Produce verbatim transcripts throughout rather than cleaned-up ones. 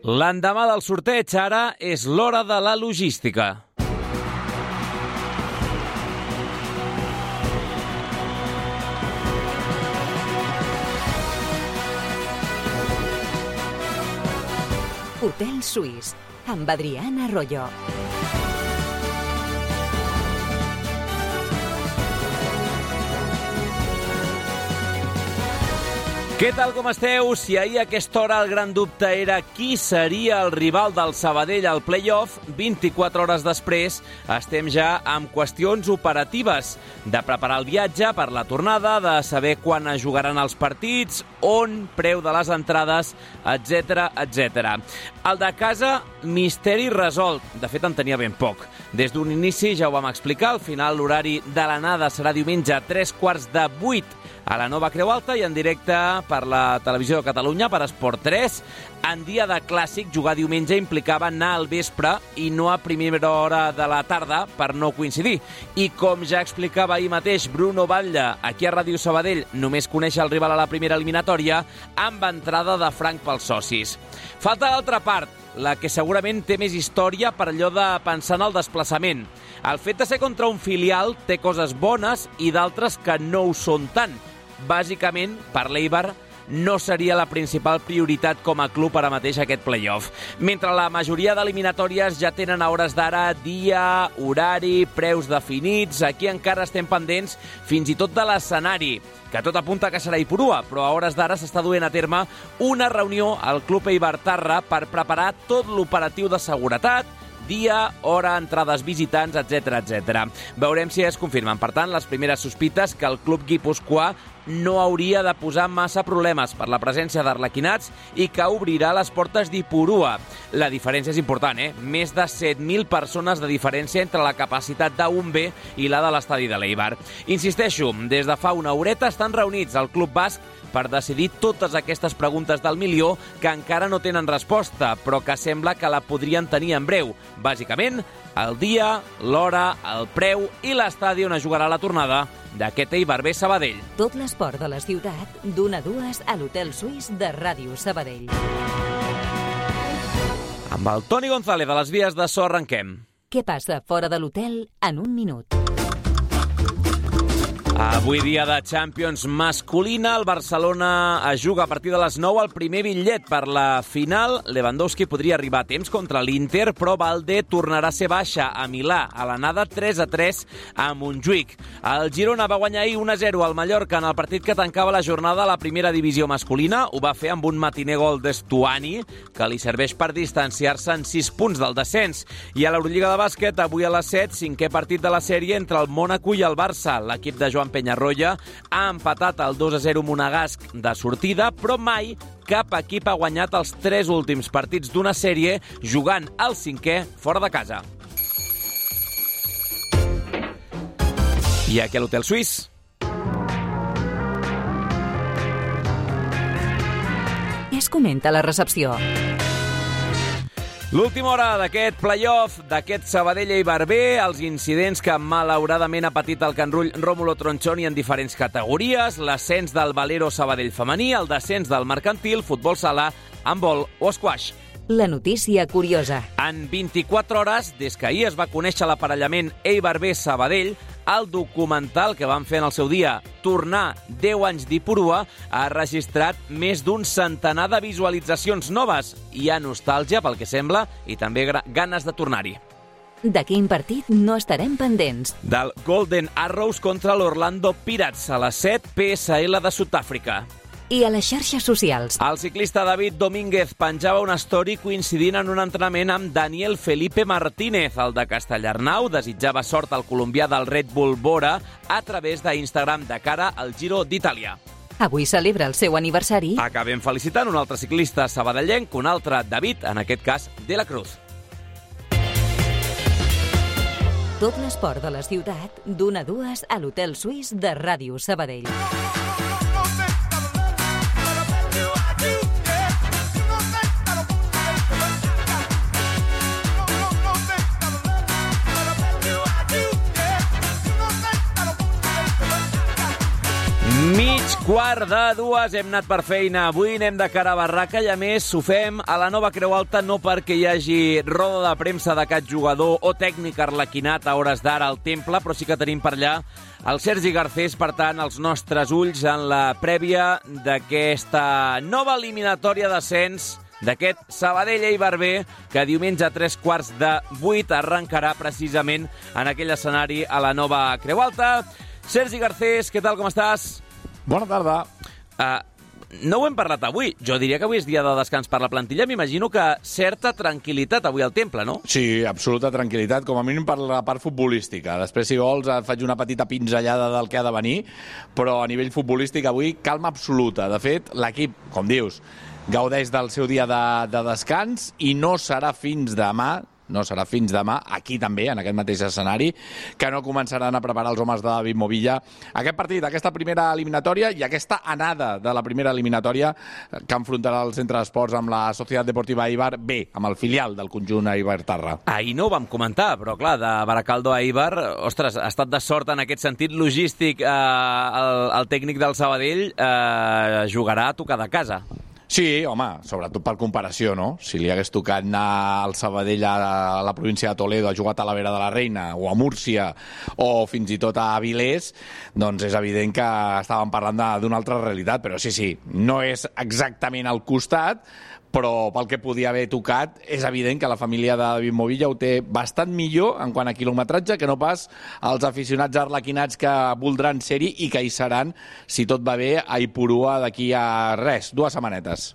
L'endemà del sorteig, ara, és l'hora de la logística. Hotel Suís, amb Adrián Arroyo. Què tal, com esteu? Si ahir a aquesta hora el gran dubte era qui seria el rival del Sabadell al play-off, vint-i-quatre hores després estem ja amb qüestions operatives, de preparar el viatge per la tornada, de saber quan es jugaran els partits, on, preu de les entrades, etcètera, etcètera. El de casa, misteri resolt. De fet, en tenia ben poc. Des d'un inici, ja ho vam explicar, al final l'horari de l'anada serà diumenge a tres quarts de vuit a la Nova Creu Alta i en directe per la Televisió de Catalunya, per Esport tres. En dia de clàssic, jugar diumenge implicava anar al vespre i no a primera hora de la tarda per no coincidir. I com ja explicava ahir mateix Bruno Batlle, aquí a Ràdio Sabadell, només conèixer el rival a la primera eliminatòria amb entrada de franc pels socis. Falta l'altra part, la que segurament té més història per allò de pensar en el desplaçament. El fet de ser contra un filial té coses bones i d'altres que no ho són tant. Bàsicament, per l'Eibar, no seria la principal prioritat com a club ara mateix aquest play-off. Mentre la majoria d'eliminatòries ja tenen a hores d'ara dia, horari, preus definits, aquí encara estem pendents fins i tot de l'escenari, que tot apunta que serà Ipurua, però a hores d'ara s'està duent a terme una reunió al Club Eibartarra per preparar tot l'operatiu de seguretat, dia, hora, entrades visitants, etcètera, etcètera. Veurem si es confirmen, per tant, les primeres sospites que el club guipuscoà no hauria de posar massa problemes per la presència d'arlequinats i que obrirà les portes d'Ipurua. La diferència és important, eh? Més de set mil persones de diferència entre la capacitat d'un B i la de l'estadi de l'Eibar. Insisteixo, des de fa una horeta estan reunits al Club Basc per decidir totes aquestes preguntes del milió que encara no tenen resposta, però que sembla que la podrien tenir en breu. Bàsicament, el dia, l'hora, el preu i l'estadi on es jugarà la tornada d'aquest Eibar B Sabadell. Tot l'esport de la ciutat, d'una a dues a l'Hotel Suís de Ràdio Sabadell. Amb el Toni González de les vies de so arrenquem. Què passa fora de l'hotel en un minut? Avui dia de Champions masculina, el Barcelona es juga a partir de les nou el primer bitllet per la final. Lewandowski podria arribar a temps contra l'Inter, però Valde tornarà a ser baixa a Milà, a l'anada tres a tres a Montjuïc. El Girona va guanyar ahir un a zero al Mallorca en el partit que tancava la jornada a la primera divisió masculina. Ho va fer amb un matiner gol d'Estuani, que li serveix per distanciar-se en sis punts del descens. I a l'Eurolliga de bàsquet, avui a les set, cinquè partit de la sèrie entre el Mònaco i el Barça. L'equip de Joan Peñarroya ha empatat el dos a zero monegasc de sortida, però mai cap equip ha guanyat els tres últims partits d'una sèrie jugant al cinquè fora de casa. I aquí a l'Hotel Suís. Què es comenta a la recepció? L'última hora d'aquest play-off, d'aquest Sabadell-Eibar B, els incidents que malauradament ha patit el Can Rull Rómulo Tronchoni en diferents categories, l'ascens del Valero Sabadell femení, el descens del Mercantil, futbol sala, handbol o squash. La notícia curiosa. En vint-i-quatre hores, des que ahir es va conèixer l'aparellament Eibar B Sabadell, el documental que van fer en el seu dia, Tornar deu anys d'Ipurua, ha registrat més d'un centenar de visualitzacions noves. Hi ha nostàlgia, pel que sembla, i també ganes de tornar-hi. De quin partit no estarem pendents? Del Golden Arrows contra l'Orlando Pirates a les set, P S L de Sud-àfrica. I a les xarxes socials. El ciclista David Domínguez penjava una story coincidint en un entrenament amb Daniel Felipe Martínez. El de Castellarnau desitjava sort al colombià del Red Bull Bora a través d'Instagram de cara al Giro d'Itàlia. Avui celebra el seu aniversari. Acabem felicitant un altre ciclista sabadellenc, un altre David, en aquest cas de la Cruz. Tot l'esport de la ciutat, d'una a dues a l'Hotel Suís de Ràdio Sabadell. Mig Quart de dues, hem anat per feina. Avui anem de cara a barraca i, a més, ho fem a la nova Creu Alta no perquè hi hagi roda de premsa de cap jugador o tècnic arlequinat a hores d'ara al Temple, però sí que tenim per allà el Sergi Garcés, per tant, els nostres ulls en la prèvia d'aquesta nova eliminatòria d'ascens d'aquest Sabadell-Eibar B, que diumenge a tres quarts de vuit arrencarà precisament en aquell escenari a la nova Creu Alta. Sergi Garcés, què tal, com estàs? Bona tarda. Uh, no ho hem parlat avui. Jo diria que avui és dia de descans per la plantilla. M'imagino que certa tranquil·litat avui al Temple, no? Sí, absoluta tranquil·litat, com a mínim per la part futbolística. Després, si vols, et faig una petita pinzellada del que ha de venir, però a nivell futbolístic avui calma absoluta. De fet, l'equip, com dius, gaudeix del seu dia de, de descans i no serà fins demà, no serà fins demà, aquí també, en aquest mateix escenari, que no començaran a preparar els homes de David Movilla aquest partit, aquesta primera eliminatòria i aquesta anada de la primera eliminatòria que enfrontarà el Centre d'Esports amb la Societat Deportiva Eibar B, amb el filial del conjunt Eibar-Terra. Ahir no ho vam comentar, però clar, de Baracaldo a Eibar, ostres, ha estat de sort en aquest sentit logístic. Eh, el, el tècnic del Sabadell eh, jugarà a tocar de casa. Sí, home, sobretot per comparació, no? Si li hagués tocat anar al Sabadell a la província de Toledo, a jugar a Talavera de la Reina, o a Múrcia, o fins i tot a Avilés, doncs és evident que estàvem parlant d'una altra realitat, però sí, sí, no és exactament al costat, però pel que podia haver tocat, és evident que la família de David Movilla ho té bastant millor en quant a quilometratge que no pas els aficionats arlequinats que voldran ser-hi i que hi seran, si tot va bé, a Ipurua d'aquí a res, dues setmanetes.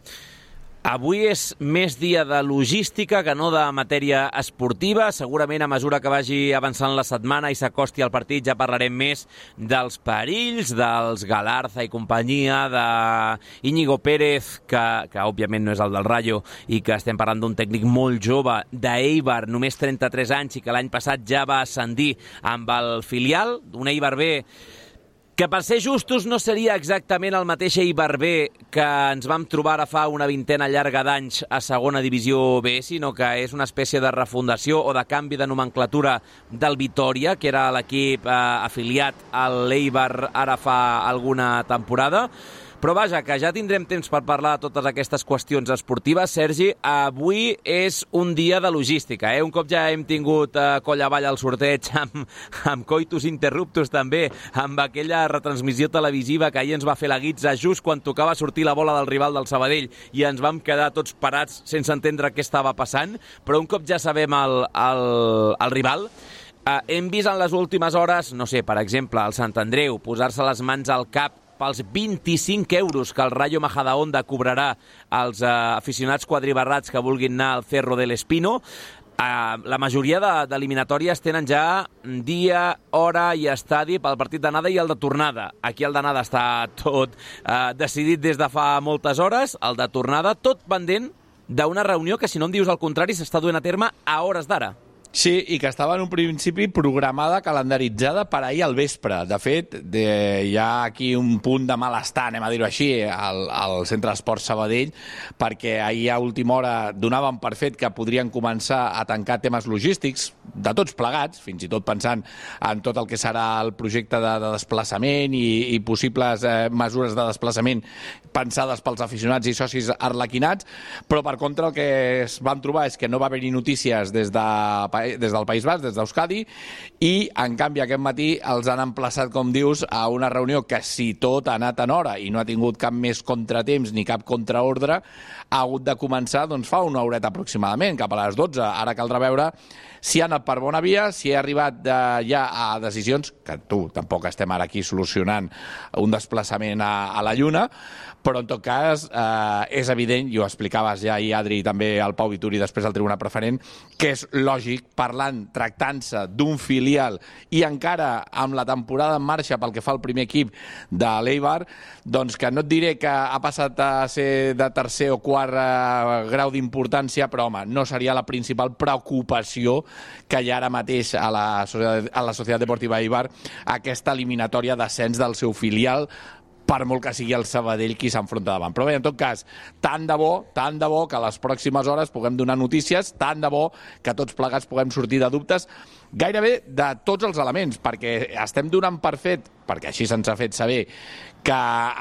Avui és més dia de logística que no de matèria esportiva. Segurament a mesura que vagi avançant la setmana i s'acosti al partit ja parlarem més dels perills, dels Galarza i companyia, d'Iñigo Pérez, que, que òbviament no és el del Rayo, i que estem parlant d'un tècnic molt jove, d'Eibar, només trenta-tres anys, i que l'any passat ja va ascendir amb el filial, un Eibar B que, per ser justos, no seria exactament el mateix Eibar B que ens vam trobar ara fa una vintena llarga d'anys a segona divisió B, sinó que és una espècie de refundació o de canvi de nomenclatura del Vitòria, que era l'equip eh, afiliat a l'Eibar ara fa alguna temporada. Però vaja, que ja tindrem temps per parlar de totes aquestes qüestions esportives. Sergi, avui és un dia de logística, eh? Un cop ja hem tingut eh, coll avall al sorteig amb, amb coitus interruptus també, amb aquella retransmissió televisiva que ahir ens va fer la guitza just quan tocava sortir la bola del rival del Sabadell i ens vam quedar tots parats sense entendre què estava passant, però un cop ja sabem el, el, el rival, eh, hem vist en les últimes hores, no sé, per exemple, el Sant Andreu posar-se les mans al cap pels vint-i-cinc euros que el Rayo Majadahonda cobrarà als eh, aficionats quadribarrats que vulguin anar al Cerro del Espino. Eh, la majoria d'eliminatòries tenen ja dia, hora i estadi pel partit d'anada i el de tornada. Aquí el d'anada està tot eh, decidit des de fa moltes hores, el de tornada tot pendent d'una reunió que, si no em dius el contrari, s'està duent a terme a hores d'ara. Sí, i que estava en un principi programada, calendaritzada per ahir al vespre. De fet, de, hi ha aquí un punt de malestar, anem a dir-ho així, al, al Centre d'Esports Sabadell, perquè ahir a última hora donàvem per fet que podrien començar a tancar temes logístics, de tots plegats, fins i tot pensant en tot el que serà el projecte de, de desplaçament i, i possibles eh, mesures de desplaçament pensades pels aficionats i socis arlequinats, però per contra el que es van trobar és que no va haver-hi notícies des de des del País Basc, des d'Euskadi, i en canvi aquest matí els han emplaçat, com dius, a una reunió que, si tot ha anat en hora i no ha tingut cap més contratemps ni cap contraordre, ha hagut de començar doncs, fa una horeta aproximadament, cap a les dotze. Ara caldrà veure si ha anat per bona via, si ha arribat eh, ja a decisions, que tu tampoc estem ara aquí solucionant un desplaçament a, a la Lluna, però en tot cas eh, és evident, i ho explicaves ja ahir, Adri, i també el Pau Vituri després al Tribuna Preferent, que és lògic, parlant, tractant-se d'un filial i encara amb la temporada en marxa pel que fa al primer equip de l'Eibar, doncs que no et diré que ha passat a ser de tercer o quart eh, grau d'importància, però home, no seria la principal preocupació que hi ha ara mateix a la, a la Societat Deportiva Eibar aquesta eliminatòria d'ascens del seu filial, per molt que sigui el Sabadell qui s'enfronta davant. Però bé, en tot cas, tant de bo, tant de bo que a les pròximes hores puguem donar notícies, tant de bo que tots plegats puguem sortir de dubtes gairebé de tots els elements, perquè estem donant per fet, perquè així se'ns ha fet saber, que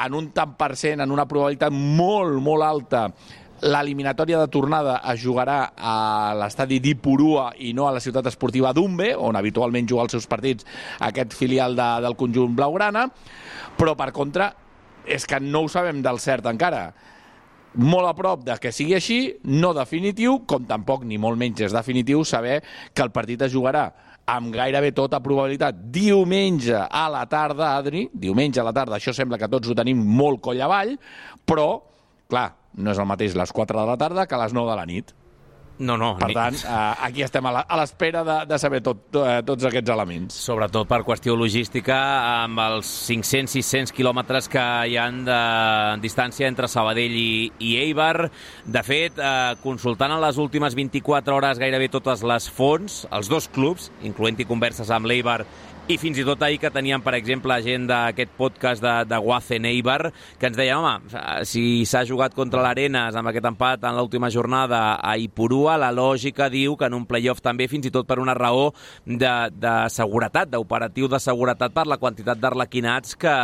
en un tant per cent, en una probabilitat molt, molt alta, l'eliminatòria de tornada es jugarà a l'estadi d'Ipurua i no a la ciutat esportiva d'Umbe, on habitualment juga els seus partits aquest filial de, del conjunt blaugrana, però per contra és que no ho sabem del cert encara. Molt a prop de que sigui així, no definitiu, com tampoc ni molt menys és definitiu saber que el partit es jugarà amb gairebé tota probabilitat diumenge a la tarda, Adri, diumenge a la tarda, això sembla que tots ho tenim molt coll avall, però, clar, no és el mateix les quatre de la tarda que les nou de la nit. No, no. Per tant, eh, aquí estem a l'espera de, de saber tot, to, eh, tots aquests elements. Sobretot per qüestió logística, amb els cinc-cents sis-cents quilòmetres que hi ha de distància entre Sabadell i, i Eibar. De fet, eh, consultant en les últimes vint-i-quatre hores gairebé totes les fonts, els dos clubs, incloent-hi converses amb l'Eibar i fins i tot ahir que teníem, per exemple, gent d'aquest podcast de, de Wazen Eibar, que ens deia, home, si s'ha jugat contra l'Arenas amb aquest empat en l'última jornada a Ipurua, la lògica diu que en un playoff també, fins i tot per una raó de, de seguretat, d'operatiu de seguretat per la quantitat d'arlequinats que,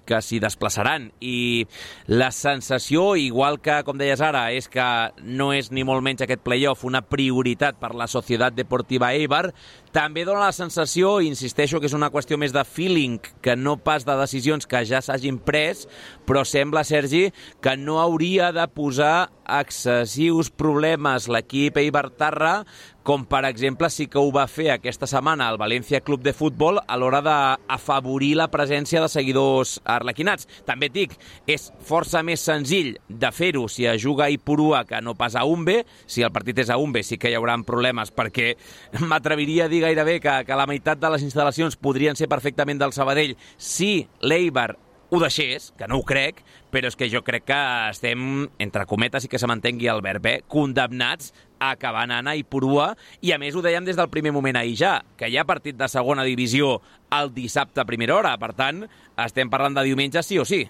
que s'hi desplaçaran. I la sensació, igual que, com deies ara, és que no és ni molt menys aquest playoff una prioritat per la Societat Deportiva Eibar, també dona la sensació, i insisteixo que és una qüestió més de feeling que no pas de decisions que ja s'hagin pres, però sembla, Sergi, que no hauria de posar excessius problemes l'equip eibartarra, com per exemple sí que ho va fer aquesta setmana al València Club de Futbol a l'hora d'afavorir la presència de seguidors arlequinats. També et dic, és força més senzill de fer-ho si es juga a Ipurua que no pas a Umbe. Si el partit és a Umbe sí que hi haurà problemes, perquè m'atreviria a dir gairebé que, que la meitat de les instal·lacions podrien ser perfectament del Sabadell si l'Eibar ho deixés, que no ho crec, però és que jo crec que estem, entre cometes i que se m'entengui el verb, eh, condemnats a acabar anant a Ipurua, i a més ho dèiem des del primer moment ahir ja, que hi ha partit de segona divisió el dissabte a primera hora, per tant, estem parlant de diumenge sí o sí.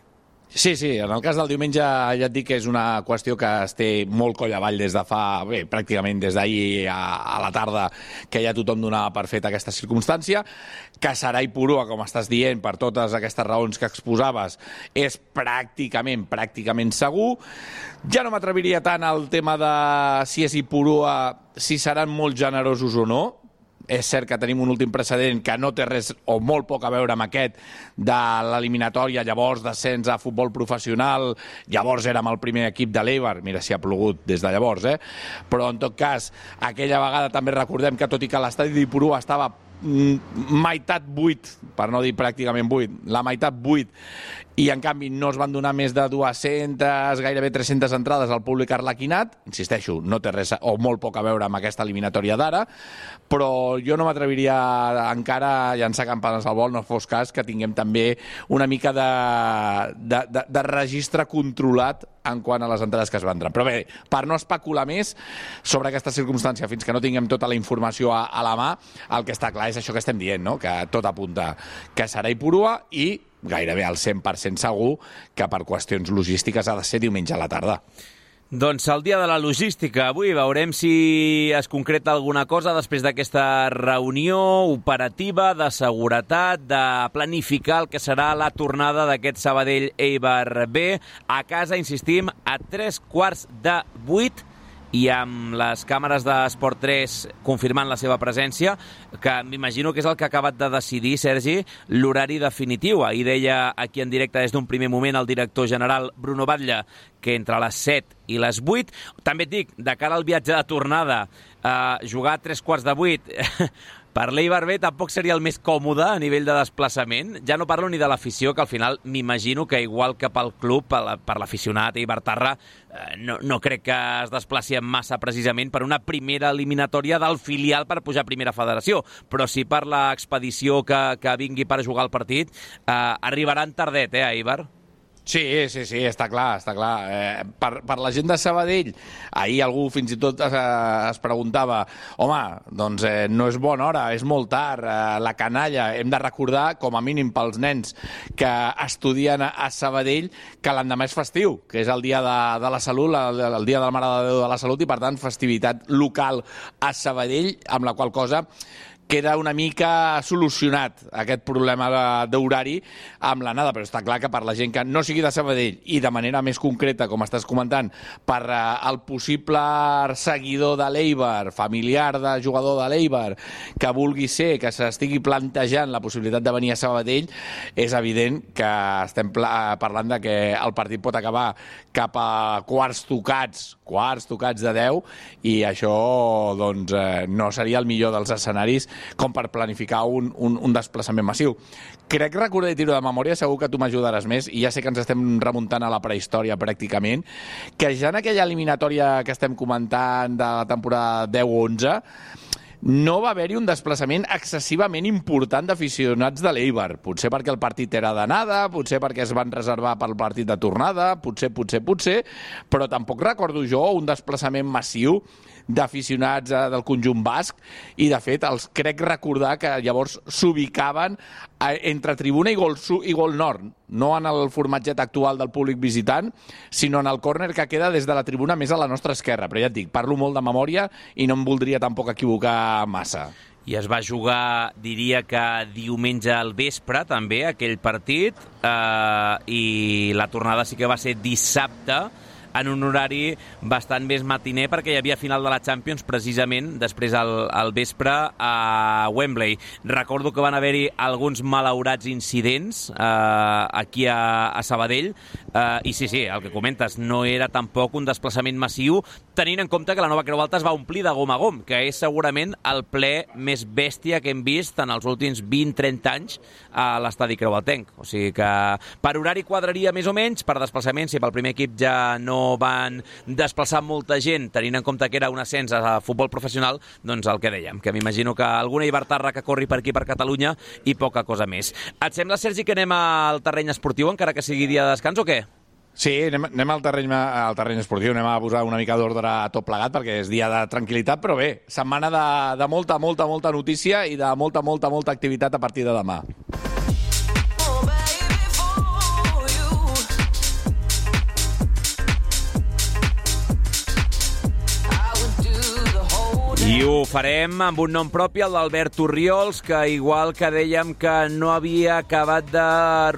Sí, sí, en el cas del diumenge ja et dic que és una qüestió que es té molt coll avall des de fa, bé, pràcticament des d'ahir a, a la tarda, que ja tothom donava per fet aquesta circumstància, que serà Ipurua, com estàs dient, per totes aquestes raons que exposaves, és pràcticament, pràcticament segur. Ja no m'atreviria tant al tema de si és Ipurua, si seran molt generosos o no. És cert que tenim un últim precedent que no té res o molt poc a veure amb aquest de l'eliminatòria, llavors descens a futbol professional, llavors érem el primer equip de l'Eibar, mira si ha plogut des de llavors, eh? Però en tot cas, aquella vegada també recordem que tot i que l'estadi d'Ipurua estava meitat buit, per no dir pràcticament buit, la meitat buit, i en canvi no es van donar més de dues-centes, gairebé tres-centes entrades al públic arlequinat. Insisteixo, no té res o molt poc a veure amb aquesta eliminatòria d'ara, però jo no m'atreviria encara a llançar campanes al vol, no fos cas que tinguem també una mica de, de, de, de registre controlat en quant a les entrades que es vendran. Però bé, per no especular més sobre aquesta circumstància fins que no tinguem tota la informació a, a la mà, el que està clar és això que estem dient, no? Que tot apunta que serà Ipurua i gairebé al cent per cent segur que per qüestions logístiques ha de ser diumenge a la tarda. Doncs el dia de la logística. Avui veurem si es concreta alguna cosa després d'aquesta reunió operativa de seguretat, de planificar el que serà la tornada d'aquest Sabadell Eibar B. A casa, insistim, a tres quarts de vuit, i amb les càmeres d'Esport tres confirmant la seva presència, que m'imagino que és el que ha acabat de decidir, Sergi, l'horari definitiu. Ahir deia aquí en directe des d'un primer moment el director general Bruno Batlle que entre les set i les vuit. També et dic, de cara al viatge de tornada, eh, jugar a tres quarts de vuit per l'Eibar B tampoc seria el més còmode a nivell de desplaçament. Ja no parlo ni de l'afició, que al final m'imagino que igual que pel club, per l'aficionat eibartarra, no, no crec que es desplaci en massa precisament per una primera eliminatòria del filial per pujar a primera federació. Però sí per l'expedició que, que vingui per jugar el partit, eh, arribaran tardet, eh, a Eibar? Sí, sí, sí, està clar, està clar. Eh, per, per la gent de Sabadell, ahir algú fins i tot es, es preguntava home, doncs eh, no és bona hora, és molt tard, eh, la canalla, hem de recordar, com a mínim pels nens que estudien a, a Sabadell, que l'endemà és festiu, que és el dia de, de la Salut, el, el dia de la Mare de Déu de la Salut, i per tant festivitat local a Sabadell, amb la qual cosa queda una mica solucionat aquest problema d'horari amb l'anada, però està clar que per la gent que no sigui de Sabadell i de manera més concreta, com estàs comentant, per el possible seguidor de l'Eibar, familiar de jugador de l'Eibar, que vulgui ser, que s'estigui plantejant la possibilitat de venir a Sabadell, és evident que estem parlant de que el partit pot acabar cap a quarts tocats, quarts tocats de deu, i això doncs, eh, no seria el millor dels escenaris com per planificar un, un, un desplaçament massiu. Crec recordar i tiro de memòria, segur que tu m'ajudaràs més, i ja sé que ens estem remuntant a la prehistòria pràcticament, que ja en aquella eliminatòria que estem comentant de la temporada deu onze, no va haver-hi un desplaçament excessivament important d'aficionats de l'Eibar. Potser perquè el partit era d'anada, potser perquè es van reservar pel partit de tornada, potser, potser, potser, però tampoc recordo jo un desplaçament massiu d'aficionats del conjunt basc, i de fet els crec recordar que llavors s'ubicaven entre tribuna i gol, i gol nord, no en el formatget actual del públic visitant, sinó en el córner que queda des de la tribuna més a la nostra esquerra. Però ja et dic, parlo molt de memòria i no em voldria tampoc equivocar massa. I es va jugar, diria que diumenge al vespre, també, aquell partit, eh, i la tornada sí que va ser dissabte, en un horari bastant més matiner, perquè hi havia final de la Champions precisament després al, al vespre a Wembley. Recordo que van haver-hi alguns malaurats incidents eh, aquí a, a Sabadell, eh, i sí, sí, el que comentes, no era tampoc un desplaçament massiu, tenint en compte que la Nova Creu Alta es va omplir de gom a gom, que és segurament el ple més bèstia que hem vist en els últims vint trenta anys a l'estadi creualtenc. O sigui que per horari quadraria més o menys, per desplaçament, si pel primer equip ja no van desplaçar molta gent, tenint en compte que era un ascens a futbol professional, doncs el que dèiem, que m'imagino que alguna Ibartarra que corri per aquí per Catalunya i poca cosa més. Et sembla, Sergi, que anem al terreny esportiu, encara que sigui dia de descans, o què? Sí, anem, anem al, terreny, al terreny esportiu, anem a posar una mica d'ordre a tot plegat, perquè és dia de tranquil·litat, però bé, setmana de, de molta, molta, molta notícia i de molta, molta, molta activitat a partir de demà. I ho farem amb un nom propi, el d'Albert Orriols, que igual que dèiem que no havia acabat de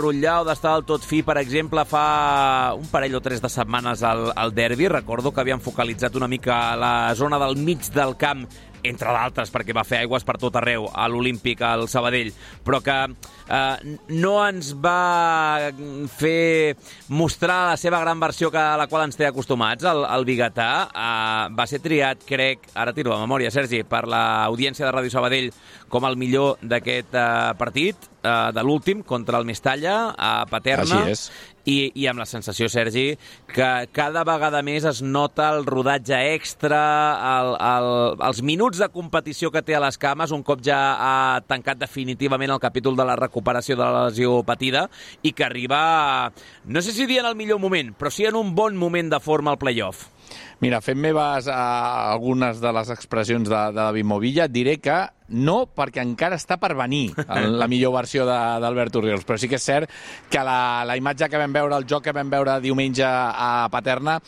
rotllar o d'estar del tot fi, per exemple, fa un parell o tres de setmanes al, al derbi. Recordo que havien focalitzat una mica la zona del mig del camp, entre d'altres, perquè va fer aigües per tot arreu, a l'Olímpic, al Sabadell, però que eh, no ens va fer mostrar la seva gran versió que, a la qual ens té acostumats, el, el biguetà. Eh, va ser triat, crec, ara tiro la memòria, Sergi, per l'audiència de Ràdio Sabadell com el millor d'aquest eh, partit, eh, de l'últim, contra el Mestalla, a Paterna. Així és. I, i amb la sensació, Sergi, que cada vegada més es nota el rodatge extra, el, el, els minuts de competició que té a les cames, un cop ja ha tancat definitivament el capítol de la recuperació de la lesió patida, i que arriba, no sé si dir en el millor moment, però sí en un bon moment de forma al play-off. Mira, fent meves a algunes de les expressions de, de David Movilla, et diré que no, perquè encara està per venir la millor versió d'Albert Orriols, però sí que és cert que la, la imatge que vam veure, el joc que vam veure diumenge a Paterna,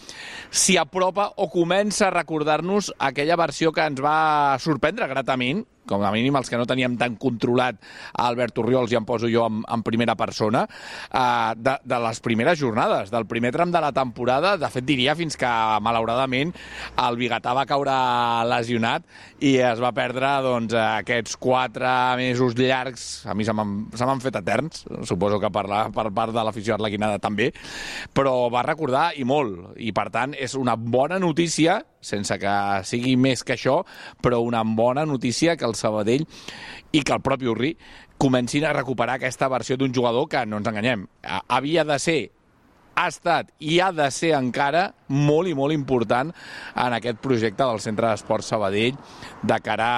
s'hi apropa o comença a recordar-nos aquella versió que ens va sorprendre gratament, com a mínim els que no teníem tan controlat a Albert Orriols, ja em poso jo en, en primera persona, eh, de, de les primeres jornades, del primer tram de la temporada. De fet, diria fins que, malauradament, el biguetà va caure lesionat i es va perdre doncs, aquests quatre mesos llargs. A mi se m'han fet eterns, suposo que per, la, per part de l'afició arlequinada també, però va recordar i molt. I, per tant, és una bona notícia, sense que sigui més que això, però una bona notícia que el Sabadell i que el propi Orri comencin a recuperar aquesta versió d'un jugador que, no ens enganyem, havia de ser, ha estat i ha de ser encara molt i molt important en aquest projecte del Centre d'Esports Sabadell de cara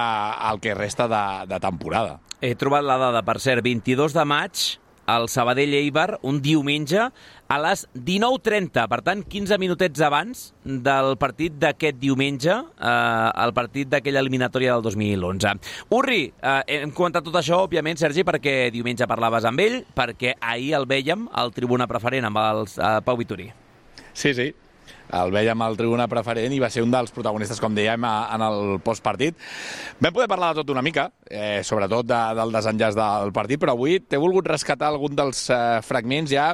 al que resta de, de temporada. He trobat la dada, per cert, vint-i-dos de maig, el Sabadell-Eibar un diumenge a les dinou trenta, per tant, quinze minutets abans del partit d'aquest diumenge, eh, el partit d'aquella eliminatòria del dos mil onze. Urri, eh, hem comentat tot això, òbviament, Sergi, perquè diumenge parlaves amb ell, perquè ahir el vèiem al tribuna preferent amb el eh, Pau Vitorí. Sí, sí. El vèiem al tribuna preferent i va ser un dels protagonistes, com dèiem, en el postpartit. Vam poder parlar de tot una mica, eh, sobretot de, del desenllaç del partit, però avui t'he volgut rescatar algun dels eh, fragments ja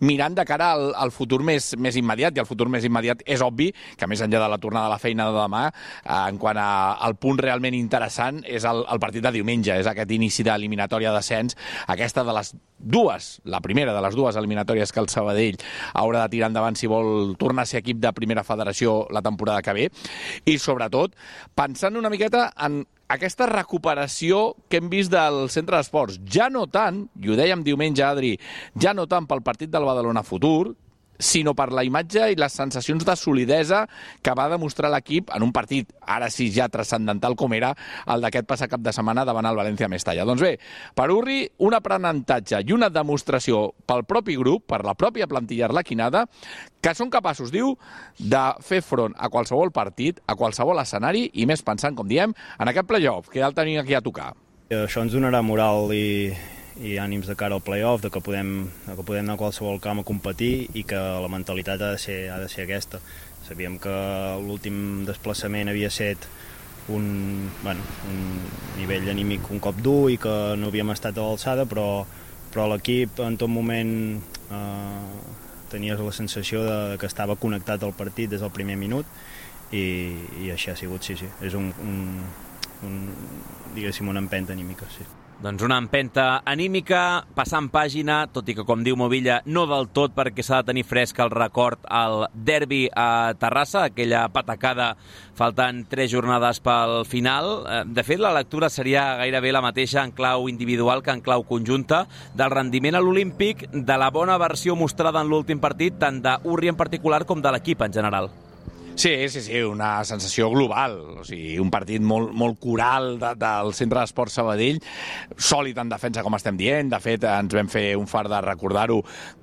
mirant de cara al, al futur més, més immediat, i el futur més immediat és obvi que més enllà de la tornada a la feina de demà, eh, en quant a, al punt realment interessant, és el, el partit de diumenge, és aquest inici d'eliminatòria d'ascens, aquesta de les dues, la primera de les dues eliminatòries que el Sabadell haurà de tirar endavant si vol tornar a ser equip de primera federació la temporada que ve, i sobretot pensant una miqueta en aquesta recuperació que hem vist del centre d'esports, ja no tant, i ho dèiem diumenge, Adri, ja no tant pel partit del Badalona Futur, sinó per la imatge i les sensacions de solidesa que va demostrar l'equip en un partit, ara sí ja transcendental com era el d'aquest passat cap de setmana davant el València Mestalla. Doncs bé, per Urri, un aprenentatge i una demostració pel propi grup, per la pròpia plantilla arlequinada, que són capaços, diu, de fer front a qualsevol partit, a qualsevol escenari, i més pensant, com diem, en aquest play-off, que ja el tenim aquí a tocar. Això ens donarà moral i... i ànims de cara al play-off, de que podem, de que podem anar a qualsevol camp a competir i que la mentalitat ha de ser, ha de ser aquesta. Sabíem que l'últim desplaçament havia estat un, bueno, un nivell anímic un cop dur i que no havíem estat a l'alçada, però, però l'equip en tot moment eh, tenies la sensació de, de que estava connectat al partit des del primer minut i, i així ha sigut, sí, sí. És un, un, un, diguéssim, una empenta anímica, sí. Doncs una empenta anímica, passant pàgina, tot i que, com diu Movilla, no del tot, perquè s'ha de tenir fresc el record al derbi a Terrassa, aquella patacada faltant tres jornades pel final. De fet, la lectura seria gairebé la mateixa en clau individual que en clau conjunta, del rendiment a l'Olímpic, de la bona versió mostrada en l'últim partit, tant d'Urri en particular com de l'equip en general. Sí, sí, sí, una sensació global, o sigui, un partit molt, molt coral de, del Centre d'Esports Sabadell, sòlid en defensa, com estem dient. De fet, ens vam fer un fart de recordar-ho,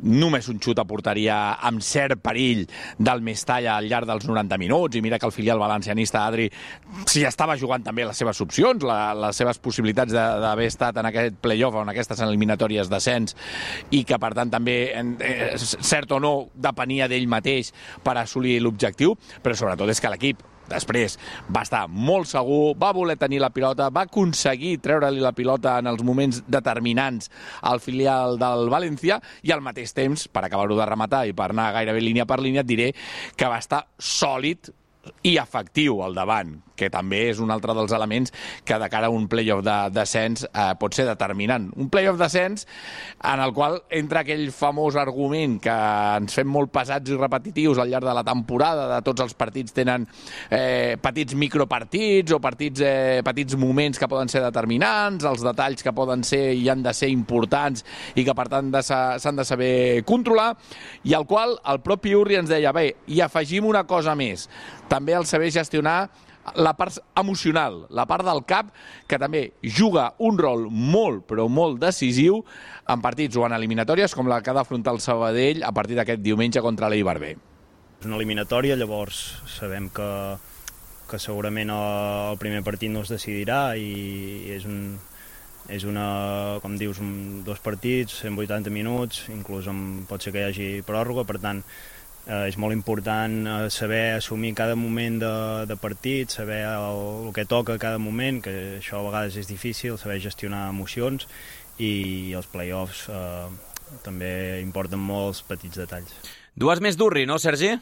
només un xut a porteria amb cert perill del Mestalla al llarg dels noranta minuts, i mira que el filial valencianista, Adri, s'hi estava jugant també les seves opcions, la, les seves possibilitats d'haver estat en aquest play-off o en aquestes eliminatòries d'ascens, i que, per tant, també, eh, cert o no, depenia d'ell mateix per assolir l'objectiu, però sobretot és que l'equip després va estar molt segur, va voler tenir la pilota, va aconseguir treure-li la pilota en els moments determinants al filial del València, i al mateix temps, per acabar-ho de rematar i per anar gairebé línia per línia, et diré que va estar sòlid i efectiu al davant, que també és un altre dels elements que de cara a un play-off de descens eh, pot ser determinant. Un play-off descens en el qual entra aquell famós argument que ens fem molt pesats i repetitius al llarg de la temporada, de tots els partits tenen eh, petits micropartits o partits, eh, petits moments que poden ser determinants, els detalls que poden ser i han de ser importants i que per tant s'han de saber controlar, i al qual el propi Urri ens deia, bé, i afegim una cosa més, també el saber gestionar la part emocional, la part del cap, que també juga un rol molt, però molt decisiu en partits o en eliminatòries com la que ha d'afrontar el Sabadell a partir d'aquest diumenge contra l'Eibar B. És una eliminatòria, llavors sabem que, que segurament el primer partit no es decidirà i és un, és una, com dius, un, dos partits, cent vuitanta minuts, inclús amb, pot ser que hi hagi pròrroga, per tant, Eh, és molt important eh, saber assumir cada moment de, de partit, saber el, el que toca a cada moment, que això a vegades és difícil, saber gestionar emocions, i els play-offs eh, també importen molt els petits detalls. Dues més d'Urri, no, Sergi?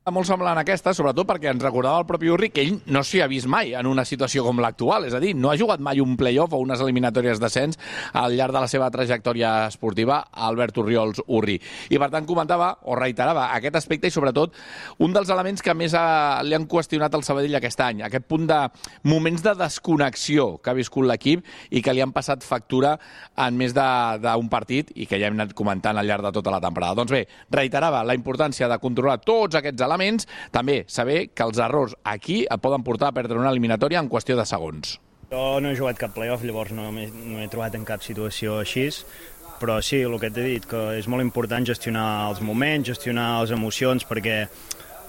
Molt semblant a aquesta, sobretot perquè ens recordava el propi Urri que ell no s'hi ha vist mai en una situació com l'actual, és a dir, no ha jugat mai un play-off o unes eliminatòries d'ascens al llarg de la seva trajectòria esportiva, Albert Orriols Urri. I per tant comentava o reiterava aquest aspecte, i sobretot un dels elements que més ha, li han qüestionat al Sabadell aquest any, aquest punt de moments de desconnexió que ha viscut l'equip i que li han passat factura en més d'un partit i que ja hem anat comentant al llarg de tota la temporada. Doncs bé, reiterava la importància de controlar tots aquests elements, també saber que els errors aquí et poden portar a perdre una eliminatòria en qüestió de segons. Jo no he jugat cap play-off, llavors no m'he no he trobat en cap situació així, però sí, el que t'he dit, que és molt important gestionar els moments, gestionar les emocions, perquè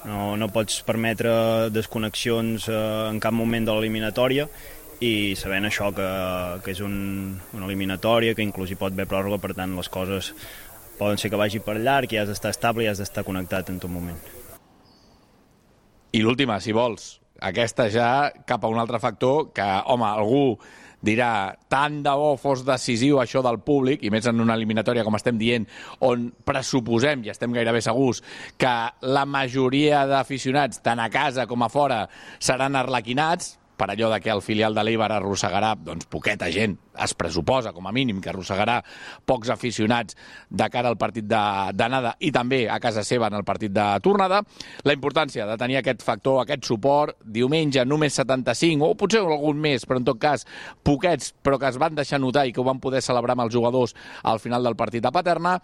no, no pots permetre desconnexions eh, en cap moment de l'eliminatòria, i sabent això que, que és un, una eliminatòria, que inclús hi pot haver pròrroga, per tant les coses poden ser que vagi per llarg i has d'estar estable i has d'estar connectat en tot moment. I l'última, si vols, aquesta ja cap a un altre factor que, home, algú dirà, tant de bo fos decisiu això del públic, i més en una eliminatòria, com estem dient, on pressuposem, i estem gairebé segurs, que la majoria d'aficionats, tant a casa com a fora, seran arlequinats, per allò de que el filial de l'Eibar arrossegarà, doncs poqueta gent, es pressuposa, com a mínim, que arrossegarà pocs aficionats de cara al partit d'anada i també a casa seva en el partit de tornada. La importància de tenir aquest factor, aquest suport, diumenge només setanta-cinc, o potser algun més, però en tot cas poquets, però que es van deixar notar i que ho van poder celebrar amb els jugadors al final del partit a Paterna.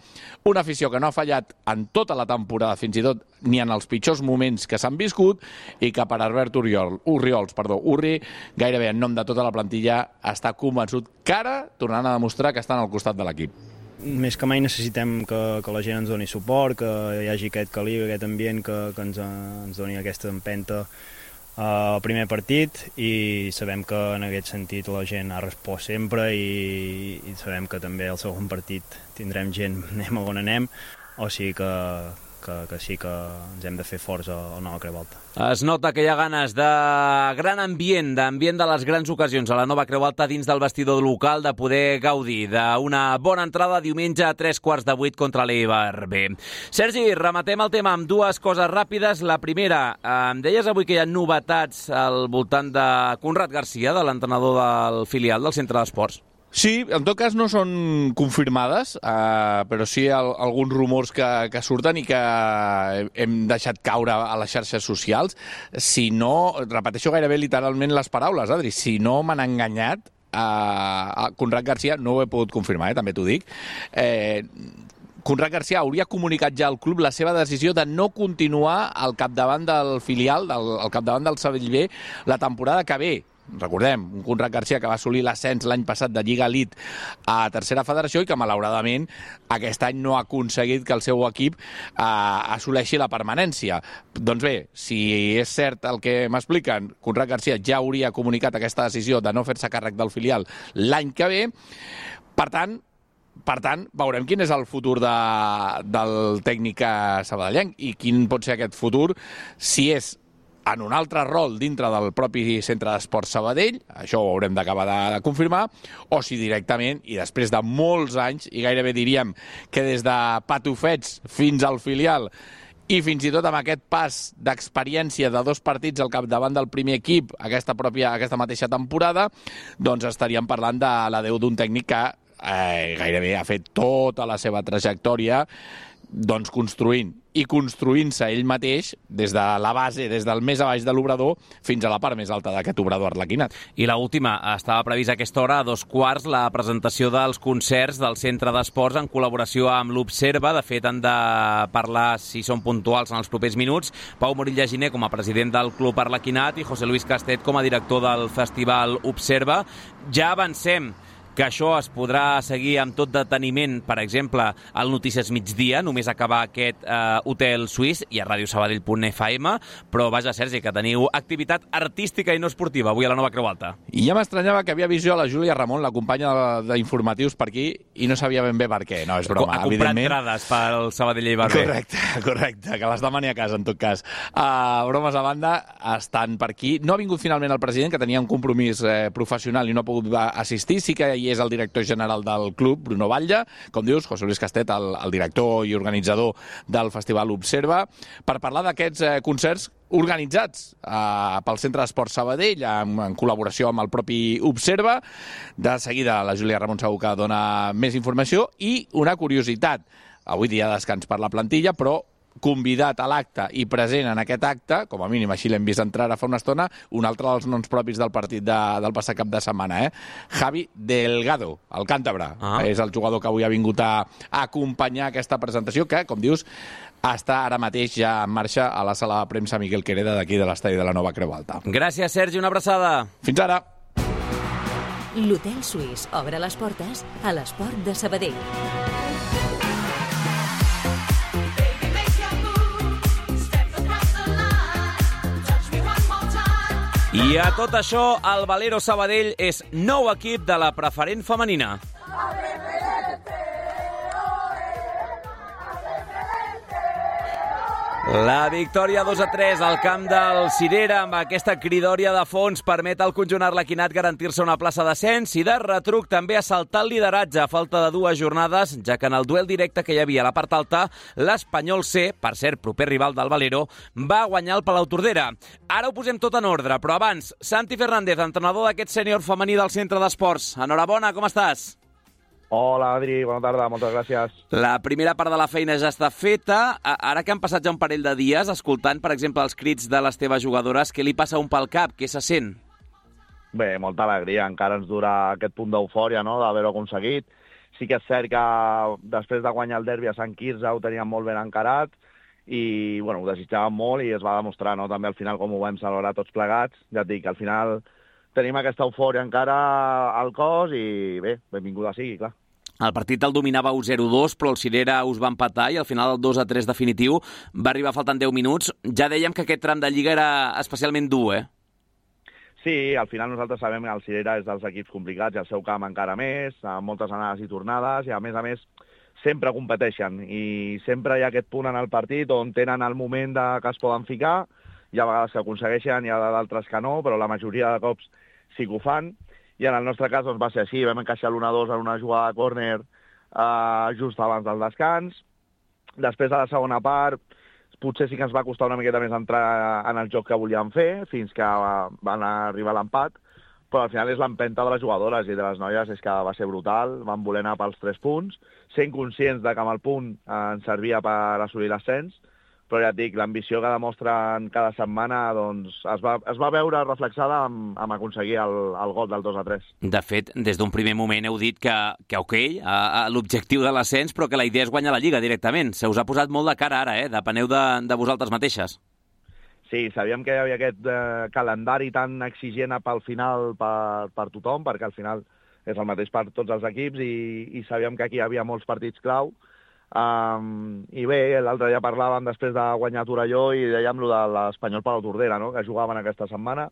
Una afició que no ha fallat en tota la temporada, fins i tot ni en els pitjors moments que s'han viscut, i que per Albert Oriol, Oriols, perdó, Urri, gairebé en nom de tota la plantilla, està convençut que ara tornaran a demostrar que estan al costat de l'equip. Més que mai necessitem que, que la gent ens doni suport, que hi hagi aquest calibre, aquest ambient que, que ens, ens doni aquesta empenta al primer partit, i sabem que en aquest sentit la gent ha respost sempre, i, i sabem que també al segon partit tindrem gent, anem a on anem, o sigui que, que, que sí que ens hem de fer forts al Nova Creu Alta. Es nota que hi ha ganes de gran ambient, d'ambient de les grans ocasions a la Nova Creu Alta dins del vestidor local, de poder gaudir d'una bona entrada diumenge a tres quarts de vuit contra l'Eibar B. Sergi, rematem el tema amb dues coses ràpides. La primera, em deies avui que hi ha novetats al voltant de Conrad Garcia, de l'entrenador del filial del Centre d'Esports. Sí, en tot cas no són confirmades, eh, però sí el, alguns rumors que, que surten i que hem deixat caure a les xarxes socials. Si no, repeteixo gairebé literalment les paraules, Adri, si no m'han enganyat, eh, Conrad Garcia, no ho he pogut confirmar, eh, també t'ho dic, eh, Conrad Garcia hauria comunicat ja al club la seva decisió de no continuar al capdavant del filial, del, al capdavant del Sabadell B, la temporada que ve. Recordem, un Conrad Garcia que va assolir l'ascens l'any passat de Lliga Elite a Tercera Federació i que malauradament aquest any no ha aconseguit que el seu equip eh, assoleixi la permanència. Doncs bé, si és cert el que m'expliquen, Conrad Garcia ja hauria comunicat aquesta decisió de no fer-se càrrec del filial l'any que ve. Per tant, Per tant, veurem quin és el futur de, del tècnic sabadellenc i quin pot ser aquest futur, si és en un altre rol dintre del propi Centre d'Esports Sabadell, això ho haurem d'acabar de, de confirmar, o si directament, i després de molts anys, i gairebé diríem que des de patufets fins al filial, i fins i tot amb aquest pas d'experiència de dos partits al capdavant del primer equip aquesta, pròpia, aquesta mateixa temporada, doncs estaríem parlant de l'adeu d'un tècnic que eh, gairebé ha fet tota la seva trajectòria doncs construint i construint-se ell mateix des de la base, des del més a baix de l'obrador fins a la part més alta d'aquest obrador arlequinat. I l'última, estava previst a aquesta hora, a dos quarts, la presentació dels concerts del Centre d'Esports en col·laboració amb l'Observa. De fet, han de parlar, si són puntuals, en els propers minuts, Pau Morilla Giner com a president del Club Arlequinat i José Luis Castet com a director del Festival Observa. Ja avancem que això es podrà seguir amb tot deteniment, per exemple, al Notícies Migdia, només acabar aquest eh, hotel suís, i a ràdio sabadell punt f m, però vaja, Sergi, que teniu activitat artística i no esportiva avui a la Nova Creu Alta. I ja m'estranyava que havia vist jo a la Júlia Ramon, la companya d'informatius per aquí, i no sabia ben bé per què. No, és broma, ha comprat entrades pel Sabadell Eibar B. Correcte, correcte, que les demani a casa, en tot cas. Uh, bromes a banda, estan per aquí. No ha vingut finalment el president, que tenia un compromís eh, professional i no ha pogut assistir. Sí que i és el director general del club, Bruno Batlle, com dius, José Luis Castet, el, el director i organitzador del Festival Observa, per parlar d'aquests eh, concerts organitzats eh, pel Centre d'Esports Sabadell en, en col·laboració amb el propi Observa. De seguida la Júlia Ramon segur que dona més informació. I una curiositat, avui dia de descans per la plantilla, però convidat a l'acte i present en aquest acte, com a mínim així l'hem vist entrar a fa una estona, un altre dels noms propis del partit de, del passat cap de setmana, eh? Javi Delgado, el càntabre. Ah. És el jugador que avui ha vingut a, a acompanyar aquesta presentació, que, com dius, està ara mateix ja en marxa a la sala de premsa Miquel Quereda d'aquí de l'estadi de la Nova Creu Alta. Gràcies, Sergi, una abraçada. Fins ara. L'Hotel Suís obre les portes a l'Esport de Sabadell. I a tot això, el Valero Sabadell és nou equip de la preferent femenina. La victòria dos a tres al camp del Cirera amb aquesta cridòria de fons permet al conjunt arlequinat garantir-se una plaça d'ascens i de retruc també assaltar el lideratge a falta de dues jornades, ja que en el duel directe que hi havia a la part alta, l'Espanyol C, per cert, proper rival del Valero, va guanyar el Palautordera. Ara ho posem tot en ordre, però abans, Santi Fernández, entrenador d'aquest sènior femení del Centre d'Esports. Enhorabona, com estàs? Hola, Adri, bona tarda, moltes gràcies. La primera part de la feina ja està feta. Ara que han passat ja un parell de dies, escoltant, per exemple, els crits de les teves jugadores, què li passa un pel cap? Què se sent? Bé, molta alegria. Encara ens dura aquest punt d'eufòria, no?, d'haver-ho aconseguit. Sí que és cert que després de guanyar el derbi a Sant Quirze ho teníem molt ben encarat i, bueno, ho desitjàvem molt i es va demostrar, no?, també al final com ho vam celebrar tots plegats. Ja et dic, al final tenim aquesta eufòria encara al cos i, bé, benvinguda sigui, clar. El partit el dominava u zero dos, però el Cirera us va empatar i al final el dos a tres definitiu va arribar faltant deu minuts. Ja dèiem que aquest tram de Lliga era especialment dur, eh? Sí, al final nosaltres sabem que el Cirera és dels equips complicats i el seu camp encara més, amb moltes anades i tornades, i a més a més sempre competeixen i sempre hi ha aquest punt en el partit on tenen el moment de que es poden ficar. Hi ha vegades que aconsegueixen, hi ha d'altres que no, però la majoria de cops sí que ho fan. I en el nostre cas doncs, va ser així, vam encaixar l'u a dos en una jugada de córner eh, just abans del descans. Després de la segona part, potser sí que ens va costar una miqueta més entrar en el joc que volíem fer, fins que van arribar a l'empat, però al final és l'empenta de les jugadores i de les noies és que va ser brutal, van voler anar pels tres punts, sent conscients de que amb el punt eh, ens servia per assolir l'ascens, però ja et dic, l'ambició que demostren cada setmana doncs, es, va, es va veure reflexada amb, amb aconseguir el, el gol del dos a tres. De fet, des d'un primer moment heu dit que, que ok, a, a l'objectiu de l'ascens, però que la idea és guanyar la Lliga directament. Se us ha posat molt de cara ara, eh? Depeneu de, de vosaltres mateixes. Sí, sabíem que hi havia aquest eh, calendari tan exigent pel final per, per tothom, perquè al final és el mateix per tots els equips i, i sabíem que aquí hi havia molts partits clau. Um, I bé, l'altre dia parlàvem després de guanyar Torelló i dèiem lo de l'Espanyol Palautordera, no?, que jugaven aquesta setmana.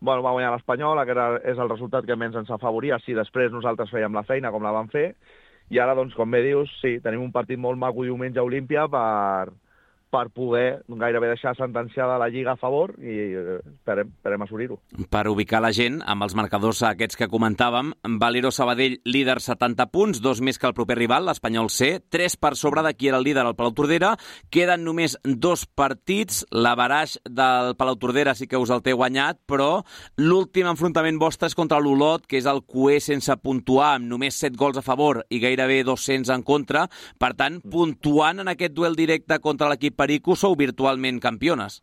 Bueno, va guanyar l'Espanyol, aquest és el resultat que menys ens afavoria si després nosaltres fèiem la feina com la vam fer. I ara, doncs, com bé dius, sí, tenim un partit molt maco diumenge a Olímpia per, per poder gairebé deixar sentenciada la Lliga a favor i esperem, esperem assolir-ho. Per ubicar la gent, amb els marcadors aquests que comentàvem, Valero Sabadell líder setanta punts, dos més que el proper rival, l'Espanyol C, tres per sobre de qui era el líder, el Palautordera. Queden només dos partits, l'averaix del Palautordera sí que us el té guanyat, però l'últim enfrontament vostre és contra l'Olot, que és el cué sense puntuar, amb només set gols a favor i gairebé dos-cents en contra. Per tant, puntuant en aquest duel directe contra l'equip Perico, sou virtualment campiones.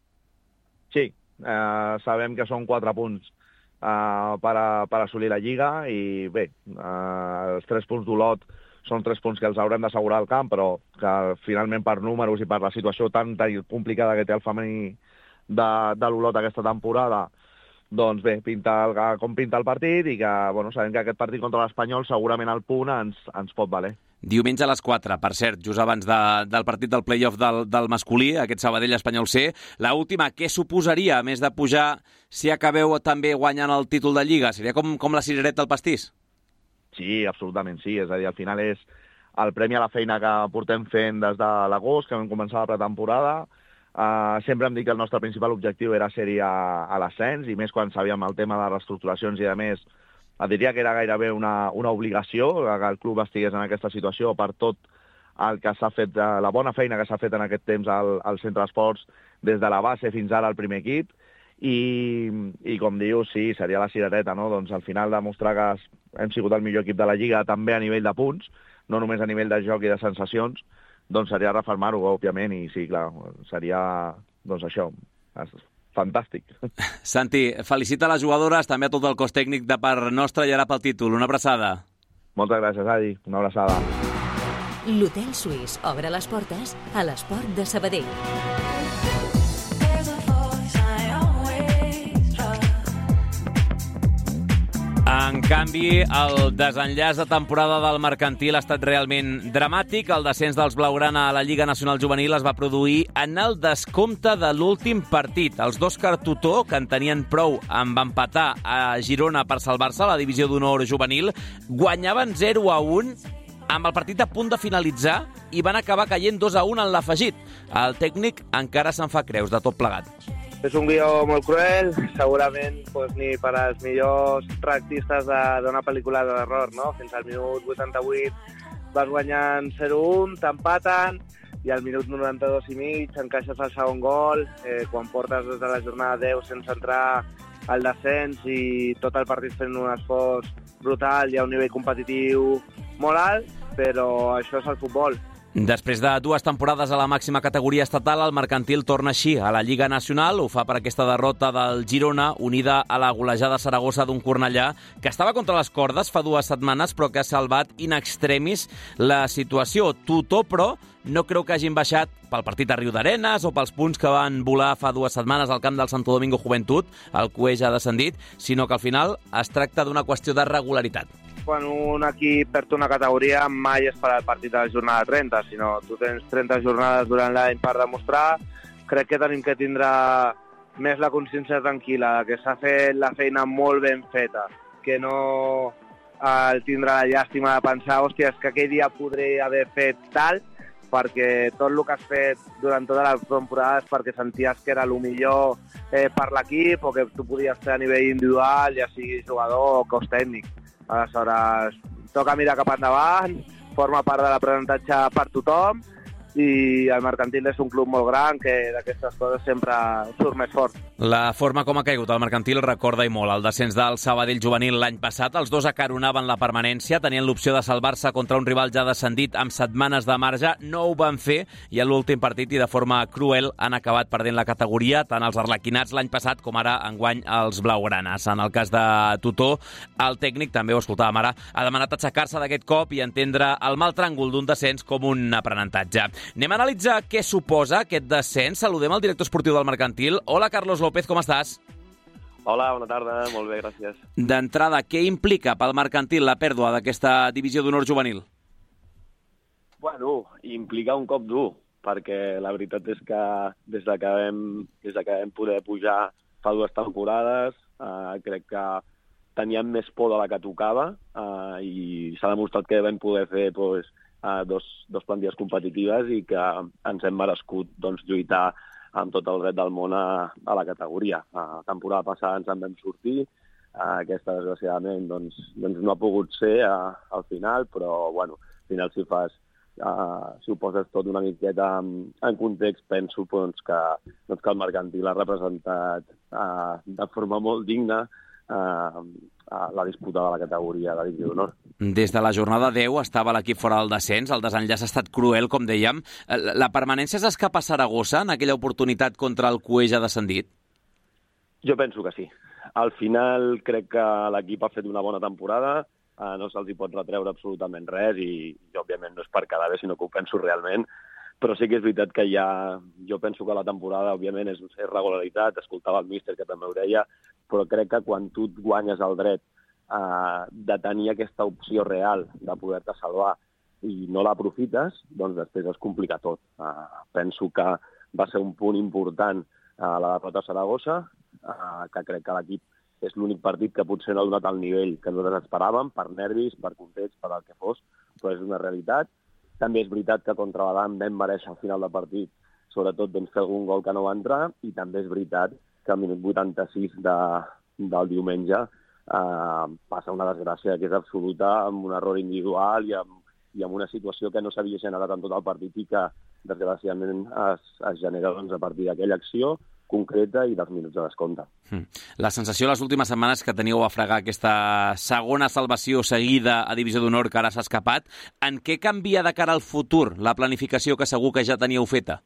Sí, eh, sabem que són quatre punts eh, per, a, per assolir la Lliga i bé, eh, els tres punts d'Olot són tres punts que els haurem d'assegurar al camp, però que finalment per números i per la situació tan, tan complicada que té el femení de, de l'Olot aquesta temporada, doncs bé, pinta el, com pinta el partit i que bueno, sabem que aquest partit contra l'Espanyol segurament el punt ens, ens pot valer. Diumenge a les quatre, per cert, just abans de, del partit del play-off del, del masculí, aquest Sabadell Espanyol C. La última, què suposaria, a més de pujar, si acabeu també guanyant el títol de Lliga? Seria com, com la cirereta al pastís? Sí, absolutament sí. És a dir, al final és el premi a la feina que portem fent des de l'agost, que vam començar la pretemporada. Uh, sempre hem dit que el nostre principal objectiu era ser-hi a, a l'ascens, i més quan sabíem el tema de reestructuracions i de més, et diria que era gairebé una, una obligació que el club estigués en aquesta situació per tot el que s'ha fet, la bona feina que s'ha fet en aquest temps al, al centre d'esports, des de la base fins ara al primer equip, i, i com dius, sí, seria la cirereta, no? Doncs al final demostrar que hem sigut el millor equip de la Lliga també a nivell de punts, no només a nivell de joc i de sensacions, doncs seria refermar-ho, òbviament, i sí, clar, seria, doncs això, fantàstic. Santi, felicita les jugadores, també a tot el cos tècnic de part nostra i ara pel títol. Una abraçada. Moltes gràcies, Adi. Una abraçada. L'Hotel Suís obre les portes a l'Esport de Sabadell. En canvi, el desenllaç de temporada del Mercantil ha estat realment dramàtic. El descens dels blaugrana a la Lliga Nacional Juvenil es va produir en el descompte de l'últim partit. Els d'Òscar Tutó, que en tenien prou amb empatar a Girona per salvar-se a la divisió d'honor juvenil, guanyaven zero a un amb el partit a punt de finalitzar i van acabar caient dos a un en l'afegit. El tècnic encara se'n fa creus de tot plegat. És un guió molt cruel, segurament pues, ni per als millors tractistes d'una pel·lícula d'error, no? Fins al minut vuitanta-vuit vas guanyant zero a un, t'empaten, i al minut noranta-dos i mig encaixes el segon gol, eh, quan portes des de la jornada deu sense entrar al descens i tot el partit fent un esforç brutal, hi ha un nivell competitiu molt alt, però això és el futbol. Després de dues temporades a la màxima categoria estatal, el Mercantil torna així a la Lliga Nacional. Ho fa per aquesta derrota del Girona, unida a la golejada Saragossa d'un Cornellà, que estava contra les cordes fa dues setmanes, però que ha salvat in extremis la situació. Tutó, però, no creu que hagin baixat pel partit a Riudarenes o pels punts que van volar fa dues setmanes al camp del Santo Domingo Juventud, el Cueix ha descendit, sinó que al final es tracta d'una qüestió de regularitat. Quan un equip perd una categoria mai és per al partit de la jornada trenta, sinó tu tens trenta jornades durant l'any per demostrar. Crec que tenim que tindre més la consciència tranquil·la, que s'ha fet la feina molt ben feta, que no el tindre la llàstima de pensar hòstia, és que aquell dia podria haver fet tal, perquè tot el que has fet durant tota la temporada és perquè senties que era el millor eh, per l'equip o que tu podies fer a nivell individual, ja sigui jugador o cos tècnic. Aleshores, toca mirar cap endavant, forma part de l'aprenentatge per tothom i el Mercantil és un club molt gran que d'aquestes coses sempre surt més fort. La forma com ha caigut el Mercantil recorda i molt el descens del Sabadell juvenil l'any passat. Els dos acaronaven la permanència, tenien l'opció de salvar-se contra un rival ja descendit amb setmanes de marge, no ho van fer i a l'últim partit i de forma cruel han acabat perdent la categoria, tant els arlequinats l'any passat com ara enguany els blaugranes. En el cas de Tutó, el tècnic, també ho escoltàvem ara, ha demanat aixecar-se d'aquest cop i entendre el mal tràngol d'un descens com un aprenentatge. Anem a analitzar què suposa aquest descens. Saludem el director esportiu del Mercantil. Hola, Carlos López, com estàs? Hola, bona tarda, molt bé, gràcies. D'entrada, què implica pel Mercantil la pèrdua d'aquesta divisió d'honor juvenil? Bueno, implica un cop dur, perquè la veritat és que des de que vam, des de que vam poder pujar fa dues temporades, eh, crec que teníem més por de la que tocava eh, i s'ha demostrat que vam poder fer doncs, Uh, dos, dos plantilles competitives i que ens hem merescut doncs, lluitar amb tot el dret del món a, a la categoria. La uh, temporada passada ens en vam sortir, uh, aquesta desgraciadament doncs, doncs no ha pogut ser uh, al final, però bueno, al final si fas, uh, si ho poses tot una miqueta en, en context, penso doncs, que, doncs, que el Mercantil ha representat uh, de forma molt digna uh, la disputa de la categoria de divisió d'honor. Des de la jornada deu estava l'equip fora del descens, el desenllaç ha estat cruel, com dèiem. La permanència és escapa a Saragossa en aquella oportunitat contra el Cueix ha descendit? Jo penso que sí. Al final crec que l'equip ha fet una bona temporada, eh, no se'ls hi pot retreure absolutament res i, i òbviament no és per quedar bé, sinó que ho penso realment. Però sí que és veritat que ja... Jo penso que la temporada, òbviament, és una regularitat, escoltava el míster, que també ho deia, però crec que quan tu et guanyes el dret eh, de tenir aquesta opció real de poder-te salvar i no l'aprofites, doncs després es complica tot. Eh, penso que va ser un punt important a eh, la derrota a Saragossa, eh, que crec que l'equip és l'únic partit que potser no ha donat el nivell que nosaltres esperàvem, per nervis, per context, per el que fos, però és una realitat. També és veritat que contra l'Adam vam mereixer al final del partit, sobretot doncs, fer algun gol que no va entrar, i també és veritat que al minut vuitanta-sis de, del diumenge eh, passa una desgràcia que és absoluta, amb un error individual i amb, i amb una situació que no s'havia generat en tot el partit i que desgraciadament es, es genera doncs, a partir d'aquella acció concreta i dels minuts de descompte. La sensació les últimes setmanes que teníeu a fregar aquesta segona salvació seguida a Divisió d'Honor que ara s'ha escapat, en què canvia de cara al futur la planificació que segur que ja teníeu feta?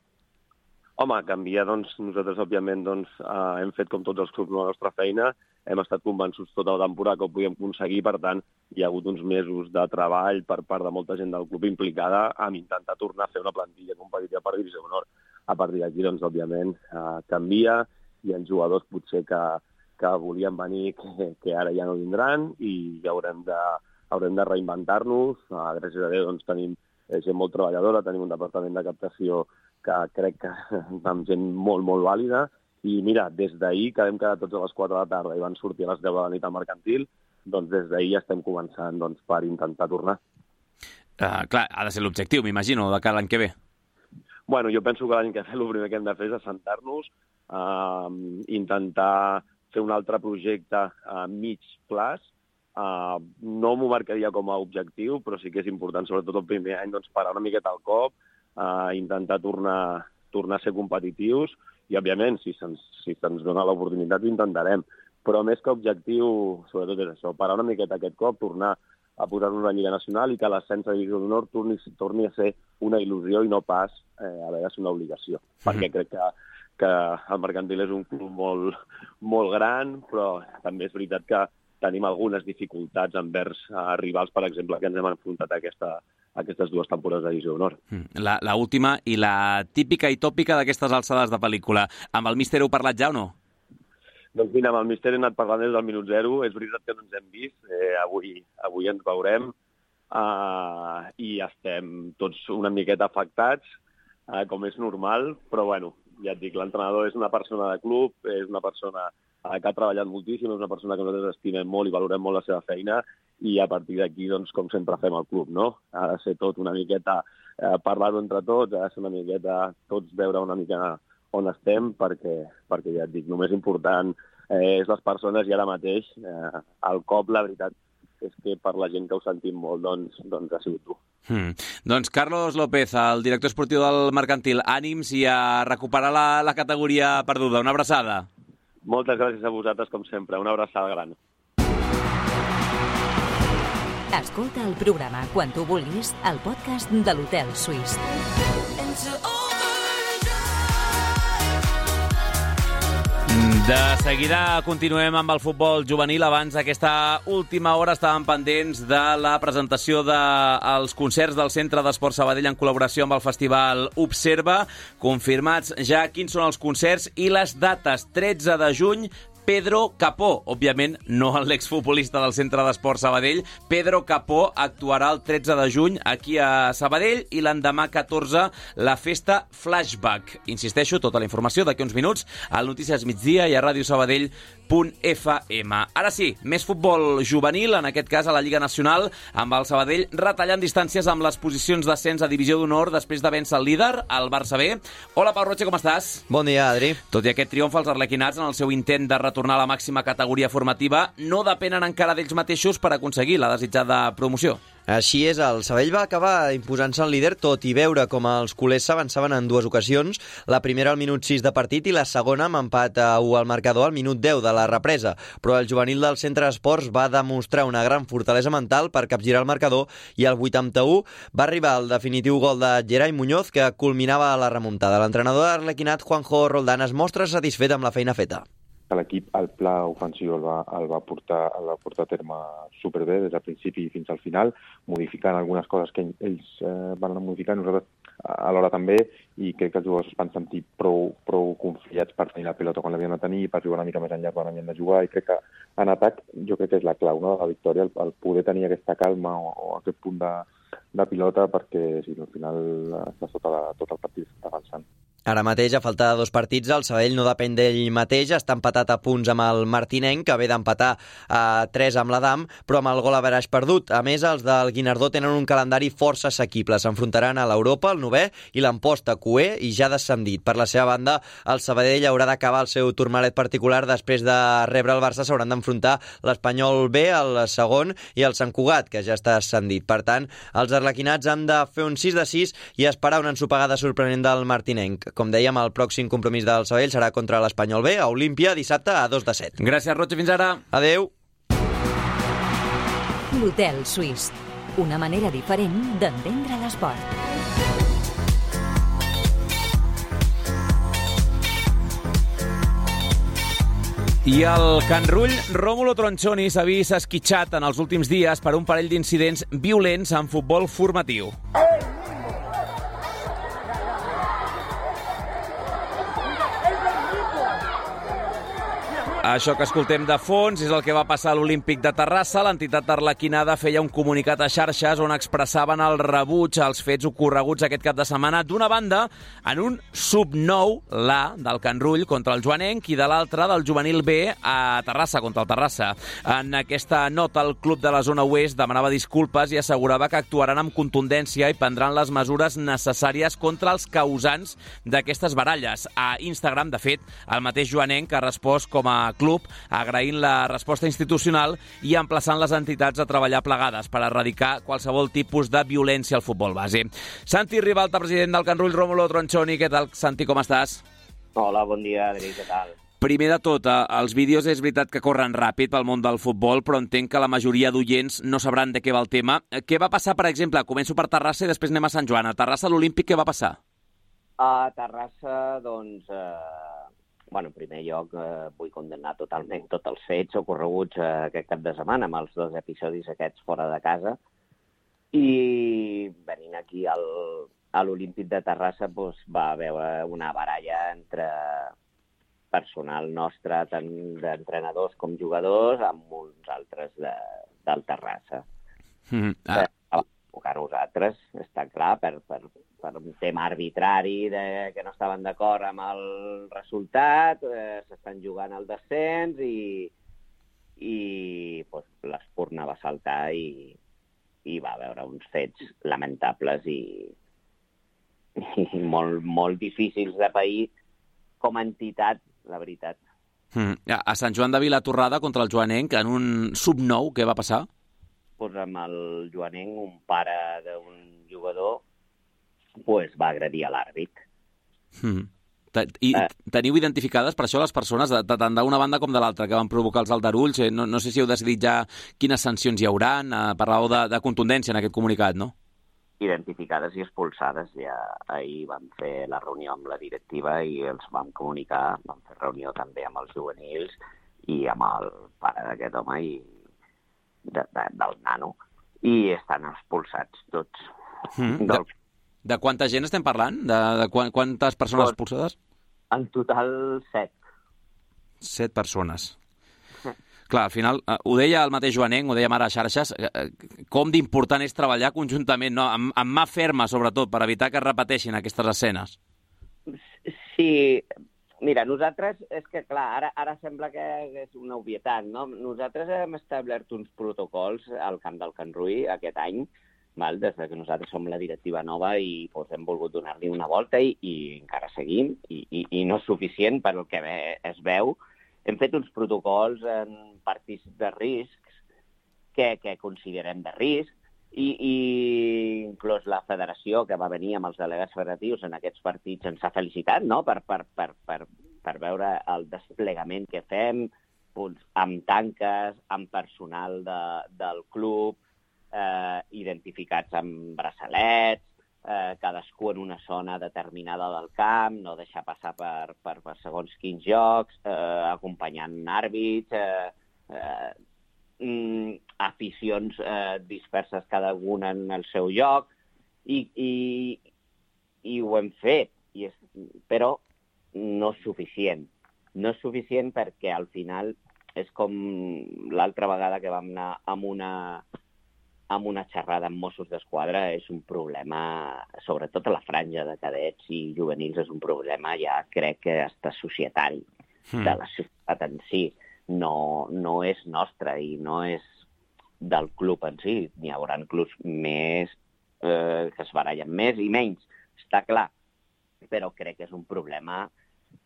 Home, canvia, doncs, nosaltres, òbviament, doncs, eh, hem fet com tots els clubs la nostra feina, hem estat convençuts tota la temporada que ho podíem aconseguir, per tant, hi ha hagut uns mesos de treball per part de molta gent del club implicada amb intentar tornar a fer una plantilla competitiva per Divisió d'Honor. A partir d'aquí, doncs, òbviament, eh, canvia, hi ha jugadors potser que, que volien venir, que, que ara ja no vindran, i haurem de, haurem de reinventar-nos. Uh, gràcies a Déu doncs, tenim gent molt treballadora, tenim un departament de captació que crec que amb gent molt, molt vàlida, i mira, des d'ahir, que vam quedar tots a les quatre de la tarda i van sortir a les deu de la nit al Mercantil, doncs des d'ahir ja estem començant doncs, per intentar tornar. Uh, clar, ha de ser l'objectiu, m'imagino, de cara l'any que ve. Bueno, jo penso que l'any que ve el primer que hem de fer és assentar-nos, uh, intentar fer un altre projecte a mig plaç. Uh, no m'ho marcaria com a objectiu, però sí que és important, sobretot el primer any, doncs, parar una miqueta al cop, uh, intentar tornar, tornar a ser competitius, i, òbviament, si se'ns si se'ns dona l'oportunitat, ho intentarem. Però més que objectiu, sobretot és això, parar una miqueta aquest cop, tornar a posar-nos a la Lliga Nacional i que l'ascens a Divisió d'Honor torni, torni a ser una il·lusió i no pas eh, a veure si una obligació. Mm-hmm. Perquè crec que, que el Mercantil és un club molt, molt gran, però també és veritat que tenim algunes dificultats envers uh, rivals, per exemple, que ens hem enfrontat a, aquesta, a aquestes dues temporades de Divisió d'Honor. La, la última i la típica i tòpica d'aquestes alçades de pel·lícula. Amb el míster heu parlat ja o no? Doncs mira, amb el míster he anat parlant des del minut zero. És veritat que no ens hem vist. Eh, avui, avui ens veurem uh, i estem tots una miqueta afectats, uh, com és normal, però bueno, ja et dic, l'entrenador és una persona de club, és una persona uh, que ha treballat moltíssim, és una persona que nosaltres estimem molt i valorem molt la seva feina, i a partir d'aquí, doncs, com sempre fem al club, no? Ha de ser tot una miqueta, uh, parlar-ho entre tots, ha de ser una miqueta, tots veure una mica on estem, perquè, perquè ja et dic, només important eh, és les persones, i ara mateix eh, el cop, la veritat, és que per la gent que ho sentim molt, doncs, doncs ha sigut tu. Hmm. Doncs Carlos López, el director esportiu del Mercantil, ànims i a recuperar la, la categoria perduda. Una abraçada. Moltes gràcies a vosaltres, com sempre. Una abraçada gran. Escolta el programa quan tu vulguis al podcast de l'Hotel Suís. De seguida continuem amb el futbol juvenil. Abans d'aquesta última hora estàvem pendents de la presentació dels de concerts del Centre d'Esport Sabadell en col·laboració amb el Festival Observa. Confirmats ja quins són els concerts i les dates. tretze de juny, Pedro Capó, òbviament no l'exfutbolista del Centre d'Esport Sabadell. Pedro Capó actuarà el tretze de juny aquí a Sabadell i l'endemà catorze la festa Flashback. Insisteixo, tota la informació d'aquí uns minuts al Notícies Migdia i a ràdio sabadell punt f m. Ara sí, més futbol juvenil, en aquest cas a la Lliga Nacional, amb el Sabadell retallant distàncies amb les posicions d'ascens a Divisió d'Honor després de vèncer el líder, el Barça B. Hola, Pau Roche, com estàs? Bon dia, Adri. Tot i aquest triomf, els arlequinats, en el seu intent de retornar a la màxima categoria formativa, no depenen encara d'ells mateixos per aconseguir la desitjada promoció. Així és, el Sabadell va acabar imposant-se el líder, tot i veure com els culers s'avançaven en dues ocasions, la primera al minut sis de partit i la segona amb empat a u al marcador al minut deu de la represa. Però el juvenil del Centre d'Esports va demostrar una gran fortalesa mental per capgirar el marcador i al vuitanta-u va arribar el definitiu gol de Gerai Muñoz que culminava la remuntada. L'entrenador d'Arlequinat, Juanjo Roldán, es mostra satisfet amb la feina feta. L'equip, el pla ofensiu el va, el va, portar, el va portar a terme superbé des del principi fins al final, modificant algunes coses que ells eh, van anar modificant, nosaltres alhora també, i crec que els jugadors es van sentir prou, prou confiats per tenir la pilota quan l'havien de tenir, per jugar una mica més enllà quan havien de jugar, i crec que en atac jo crec que és la clau, no?, de la victòria, el, el poder tenir aquesta calma o, o aquest punt de, de pilota, perquè si no, al final està sota la, tot el partit està avançant. Ara mateix, a falta de dos partits, el Sabadell no depèn d'ell mateix, està empatat a punts amb el Martinenc, que ve d'empatar a tres amb l'Adam, però amb el gol average perdut. A més, els del Guinardó tenen un calendari força assequible. S'enfrontaran a l'Europa, el novè, i l'Amposta, cué, i ja descendit. Per la seva banda, el Sabadell haurà d'acabar el seu turmalet particular. Després de rebre el Barça, s'hauran d'enfrontar l'Espanyol B, el segon, i el Sant Cugat, que ja està ascendit. Per tant, els arlequinats han de fer un sis de sis i esperar una ensopegada sorprenent del Martinenc. Com dèiem, el pròxim compromís del Sabadell serà contra l'Espanyol B, a Olímpia, dissabte a dos de set. Gràcies, Roig, fins ara. Adeu. L'Hotel Suís, una manera diferent d'entendre l'esport. I el Can Rull, Rómulo Tronchoni, s'ha vist esquitxat en els últims dies per un parell d'incidents violents en futbol formatiu. Això que escoltem de fons és el que va passar a l'Olímpic de Terrassa. L'entitat arlequinada feia un comunicat a xarxes on expressaven el rebuig als fets ocorreguts aquest cap de setmana, d'una banda en un sub nou, l'A, del Can Rull contra el Joanenc, i de l'altra del juvenil B a Terrassa contra el Terrassa. En aquesta nota el club de la zona oest demanava disculpes i assegurava que actuaran amb contundència i prendran les mesures necessàries contra els causants d'aquestes baralles. A Instagram, de fet, el mateix Joanenc ha respost com a club, agraint la resposta institucional i emplaçant les entitats a treballar plegades per erradicar qualsevol tipus de violència al futbol base. Santi Ribalta, president del Can Rull, Rómulo Tronchoni, què tal, Santi, com estàs? Hola, bon dia, Adri, què tal? Primer de tot, els vídeos és veritat que corren ràpid pel món del futbol, però entenc que la majoria d'oients no sabran de què va el tema. Què va passar, per exemple? Començo per Terrassa i després anem a Sant Joan. A Terrassa, a l'Olímpic, què va passar? A Terrassa, doncs, eh, bueno, en primer lloc, eh, vull condemnar totalment tots els fets ocorreguts eh, aquest cap de setmana amb els dos episodis aquests fora de casa. I venint aquí al, a l'Olímpic de Terrassa doncs, va haver una baralla entre personal nostre, tant d'entrenadors com jugadors, amb uns altres de, del Terrassa. Mm, ah. Per a nosaltres, està clar, per, per, per un tema arbitrari de, que no estaven d'acord amb el resultat, eh, s'estan jugant al descens i, i pues, l'Espurna va saltar i, i va veure uns fets lamentables i, i molt, molt difícils de pair com a entitat, la veritat. Mm. A Sant Joan de Vilatorrada contra el Joanenc, en un sub nou, què va passar? Pues amb el Joanenc, un pare d'un jugador, pues, va agredir a l'àrbit. Mm. I eh. teniu identificades per això les persones, de, de, tant d'una banda com de l'altra, que van provocar els aldarulls? No, no sé si heu decidit ja quines sancions hi haurà. Parlàveu de, de contundència en aquest comunicat, no? Identificades i expulsades. Ja ahir vam fer la reunió amb la directiva i els vam comunicar, vam fer reunió també amb els juvenils i amb el pare d'aquest home i de, de, del nano, i estan expulsats tots. Mm. Del... De, de quanta gent estem parlant? De, de quantes persones pues, expulsades? En total, set. Set persones. Clar, al final, eh, ho deia el mateix Joanenc, ho deia ara a xarxes, eh, com d'important és treballar conjuntament, no? amb, amb mà ferma, sobretot, per evitar que es repeteixin aquestes escenes. Sí, mira, nosaltres, és que clar, ara, ara sembla que és una obvietat, no? Nosaltres hem establert uns protocols al camp del Can Rull aquest any, val? Des que nosaltres som la directiva nova i doncs, hem volgut donar-li una volta i, i encara seguim, i, i, i no és suficient per el que ve, es veu. Hem fet uns protocols en partits de riscs que, que considerem de risc i, i inclús la federació que va venir amb els delegats federatius en aquests partits ens ha felicitat, no? per, per, per, per, per veure el desplegament que fem doncs, amb tanques, amb personal de, del club, eh, identificats amb braçalets, Eh, cadascú en una zona determinada del camp, no deixar passar per, per, per segons quins jocs, eh, acompanyant àrbits, eh, eh, mm, aficions eh, disperses cada una en el seu lloc, i, i, i ho hem fet, i és, però no és suficient. No és suficient perquè al final és com l'altra vegada que vam anar amb una... amb una xerrada amb Mossos d'Esquadra, és un problema, sobretot a la franja de cadets i juvenils, és un problema ja crec que hasta societari, mm. de la societat en si. No, no és nostre i no és del club en si. N'hi haurà clubs més eh, que es barallen més i menys, està clar, però crec que és un problema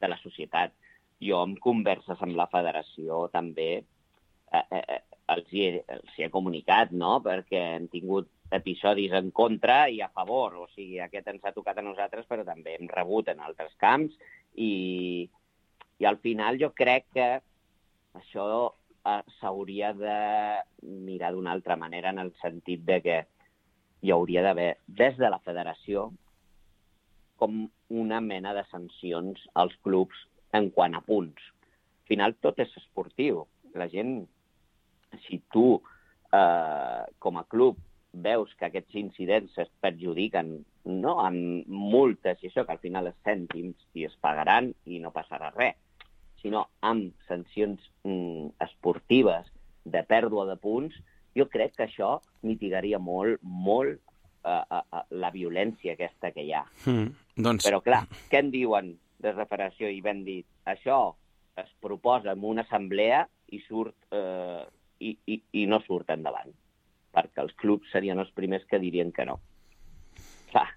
de la societat. Jo en converses amb la federació també eh, eh, els hi, he, els hi he comunicat, no? Perquè hem tingut episodis en contra i a favor. O sigui, aquest ens ha tocat a nosaltres, però també hem rebut en altres camps. I, i al final jo crec que això eh, s'hauria de mirar d'una altra manera, en el sentit de que hi hauria d'haver, des de la federació, com una mena de sancions als clubs en quant a punts. Al final tot és esportiu. La gent... Si tu, eh, com a club, veus que aquests incidents es perjudiquen, no, amb multes i això, que al final és cèntims i es pagaran i no passarà res. sinó amb sancions mm, esportives de pèrdua de punts, jo crec que això mitigaria molt, molt uh, uh, uh, la violència aquesta que hi ha. Mm, doncs... Però clar, què en diuen de la federació? I ben dit, això es proposa en una assemblea i surt eh, i, i, i no surt endavant, perquè els clubs serien els primers que dirien que no. Clar,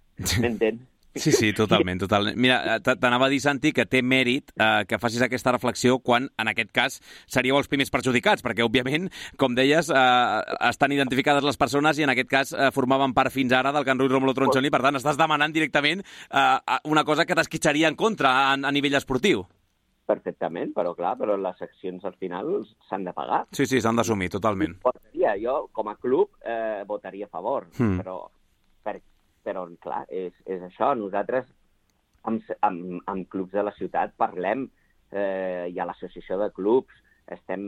m'entens? Sí, sí, totalment, totalment. Mira, t'anava a dir, Santi, que té mèrit eh, que facis aquesta reflexió quan, en aquest cas, seríeu els primers perjudicats, perquè, òbviament, com deies, eh, estan identificades les persones i, en aquest cas, eh, formaven part fins ara del Can Ruiz Rómulo Tronchoni, per tant, estàs demanant directament eh, una cosa que t'esquitxaria en contra a, a nivell esportiu. Perfectament, però clar, però les accions al final s'han de pagar. Sí, sí, s'han d'assumir, totalment. Votaria, jo, com a club, eh, votaria a favor, mm. però... Per... Però, clar, és, és això. Nosaltres, amb, amb, amb clubs de la ciutat, parlem, eh, hi ha l'associació de clubs, estem,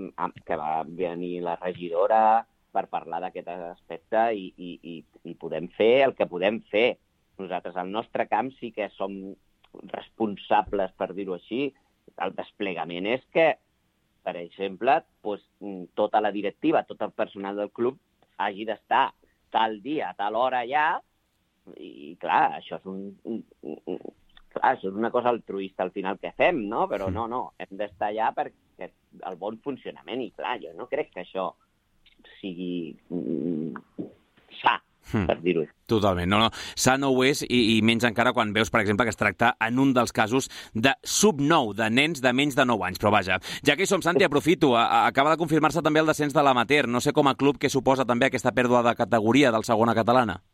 que va venir la regidora per parlar d'aquest aspecte i, i, i, i podem fer el que podem fer. Nosaltres, al nostre camp, sí que som responsables, per dir-ho així. El desplegament és que, per exemple, doncs, tota la directiva, tot el personal del club hagi d'estar tal dia, tal hora allà. I, clar, això és, un, un, un, clar, això és una cosa altruista al final que fem, no? Però no, no, hem d'estar allà perquè el bon funcionament. I, clar, jo no crec que això sigui mm, sa, hmm. per dir-ho. Totalment, no, no. Sa no ho és i, i menys encara quan veus, per exemple, que es tracta en un dels casos de sub nou, de nens de menys de nou anys. Però vaja, ja que hi som, Santi, aprofito. A, a, acaba de confirmar-se també el descens de l'amateur. No sé com a club què suposa també aquesta pèrdua de categoria del segona catalana.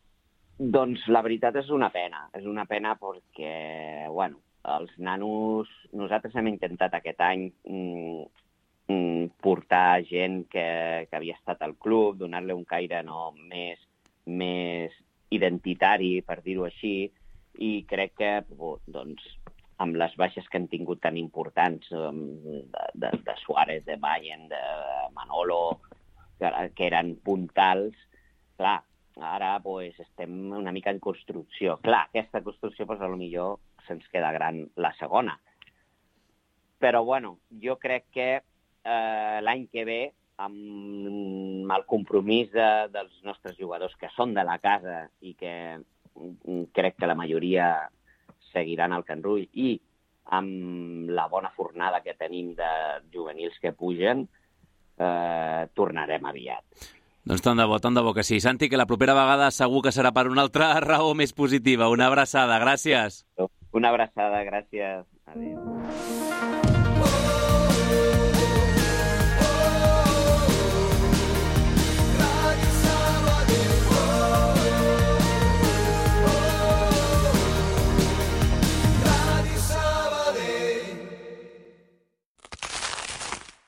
Doncs la veritat és una pena. És una pena perquè, bueno, els nanos... Nosaltres hem intentat aquest any mm, mm, portar gent que, que havia estat al club, donar-li un caire no, més, més identitari, per dir-ho així, i crec que, doncs, amb les baixes que han tingut tan importants, de, de, de Suárez, de Mayen, de Manolo, que, que eren puntals, clar, ara pues, estem una mica en construcció. Clar, aquesta construcció, pues, potser se'ns queda gran la segona. Però, bueno, jo crec que eh, l'any que ve, amb el compromís de, dels nostres jugadors que són de la casa i que crec que la majoria seguiran al Can Rull i amb la bona fornada que tenim de juvenils que pugen, eh, tornarem aviat. Doncs tant de bo, tant de bo que sí. Santi, que la propera vegada segur que serà per una altra raó més positiva. Una abraçada, gràcies. Una abraçada, gràcies. Adéu.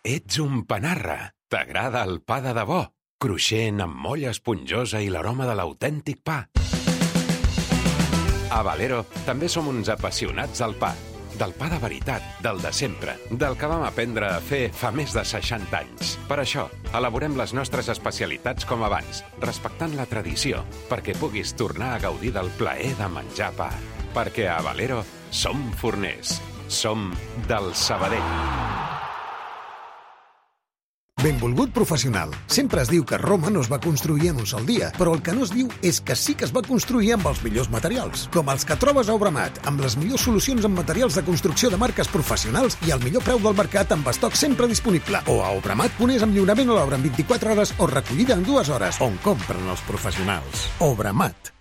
Ets un panarra. T'agrada el pa de debò? Cruixent, amb molla esponjosa i l'aroma de l'autèntic pa. A Valero també som uns apassionats del pa. Del pa de veritat, del de sempre, del que vam aprendre a fer fa més de seixanta anys. Per això, elaborem les nostres especialitats com abans, respectant la tradició, perquè puguis tornar a gaudir del plaer de menjar pa. Perquè a Valero som forners. Som del Sabadell. Benvolgut professional. Sempre es diu que Roma no es va construir en un sol dia, però el que no es diu és que sí que es va construir amb els millors materials, com els que trobes a Obramat, amb les millors solucions en materials de construcció de marques professionals i el millor preu del mercat amb estoc sempre disponible. O a Obramat pones amb lliurament a l'obra en vint-i-quatre hores o recollida en dues hores, on compren els professionals. Obramat.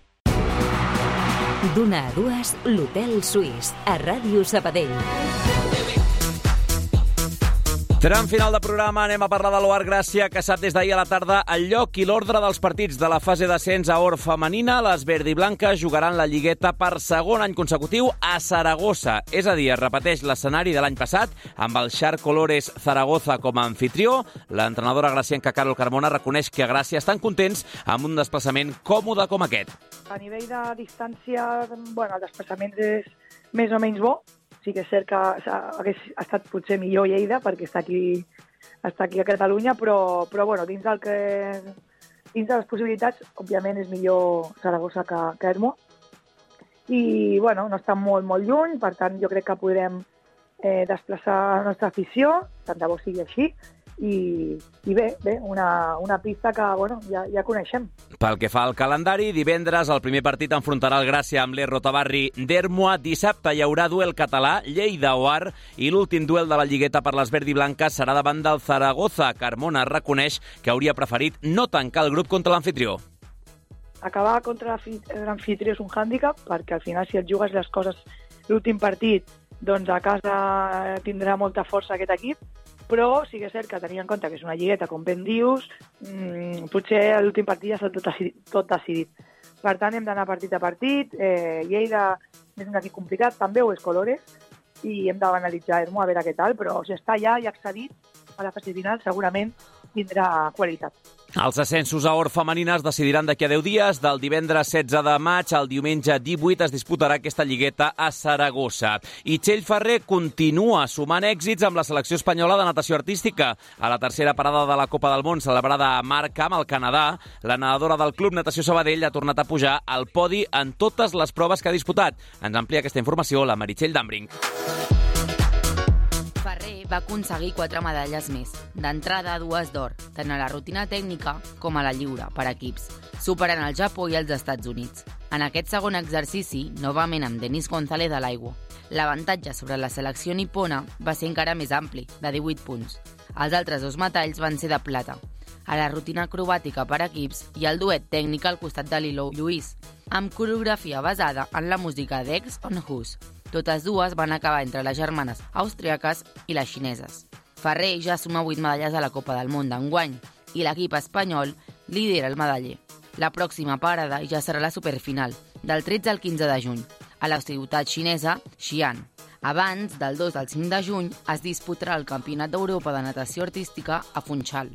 D'una a dues, l'Hotel Suís, a Ràdio Sabadell. Tram final de programa, anem a parlar de l'O A R Gràcia, que sap des d'ahir a la tarda el lloc i l'ordre dels partits de la fase d'ascens a Or femenina. Les verdiblanques jugaran la Lligueta per segon any consecutiu a Saragossa. És a dir, es repeteix l'escenari de l'any passat, amb el Shark Colores Zaragoza com a anfitrió. L'entrenadora gracienca Carol Carmona reconeix que a Gràcia estan contents amb un desplaçament còmode com aquest. A nivell de distància, bueno, el desplaçament és més o menys bo. Sí que és cert que hagués estat potser millor Lleida, perquè està aquí, està aquí a Catalunya, però, però bueno, dins, del que, dins de les possibilitats, òbviament és millor Saragossa que, que Ermo. I bueno, no està molt, molt lluny, per tant jo crec que podrem eh, desplaçar la nostra afició, tant de bo sigui així, i, i bé, bé una, una pista que bueno, ja, ja coneixem. Pel que fa al calendari, divendres el primer partit enfrontarà el Gràcia amb l'E Rotabarri d'Ermua. Dissabte hi haurà duel català, Lleida-Oar, i l'últim duel de la Lligueta per les verd i blanques serà davant del Zaragoza. Carmona reconeix que hauria preferit no tancar el grup contra l'anfitrió. Acabar contra l'anfitrió és un hàndicap, perquè al final si et jugues les coses l'últim partit, doncs a casa tindrà molta força aquest equip, però sí que és cert que tenint en compte que és una lligueta, com ben dius, mmm, potser l'últim partit ja està tot, tot decidit. Per tant, hem d'anar partit a partit. Eh, Lleida és un equip complicat, també ho és Colores, i hem d'analitzar Ermo a veure què tal, però si està ja i accedit a la fase final, segurament tindrà qualitat. Els ascensos a Or femenines decidiran d'aquí a deu dies. Del divendres setze de maig al diumenge divuit es disputarà aquesta lligueta a Saragossa. I Txell Ferrer continua sumant èxits amb la selecció espanyola de natació artística. A la tercera parada de la Copa del Món celebrada a Markham, al Canadà, la nedadora del Club Natació Sabadell ha tornat a pujar al podi en totes les proves que ha disputat. Ens amplia aquesta informació la Meritxell Dambring. Ferrer va aconseguir quatre medalles més, d'entrada dues d'or, tant a la rutina tècnica com a la lliure, per equips, superant el Japó i els Estats Units. En aquest segon exercici, novament amb Denis González a l'aigua. L'avantatge sobre la selecció nipona va ser encara més ampli, de divuit punts. Els altres dos metalls van ser de plata. A la rutina acrobàtica per equips hi ha el duet tècnic al costat de Lilo Lluís, amb coreografia basada en la música d'Ex on Hus. Totes dues van acabar entre les germanes austríaques i les xineses. Ferrer ja suma vuit medalles a la Copa del Món d'enguany i l'equip espanyol lidera el medaller. La pròxima parada ja serà la superfinal, del tretze al quinze de juny, a la ciutat xinesa Xi'an. Abans, del dos al cinc de juny, es disputarà el Campionat d'Europa de Natació Artística a Funchal.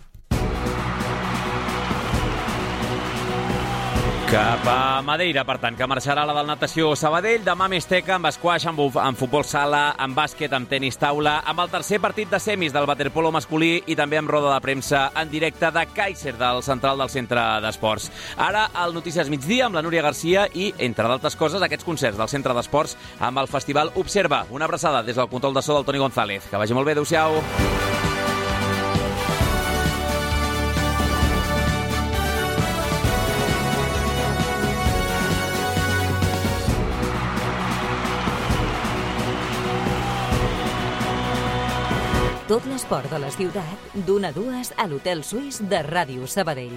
Cap a Madeira, per tant, que marxarà la del natació Sabadell. Demà més teca, amb esquaix, amb, amb futbol sala, amb bàsquet, amb tenis taula, amb el tercer partit de semis del waterpolo masculí i també amb roda de premsa en directe de Kaiser, del central del centre d'esports. Ara, al Notícies Migdia, amb la Núria Garcia i, entre d'altres coses, aquests concerts del centre d'esports amb el festival Observa. Una abraçada des del control de so del Toni González. Que vagi molt bé, adéu-siau. Tot l'esport de la ciutat, d'una a dues a l'Hotel Suís de Ràdio Sabadell.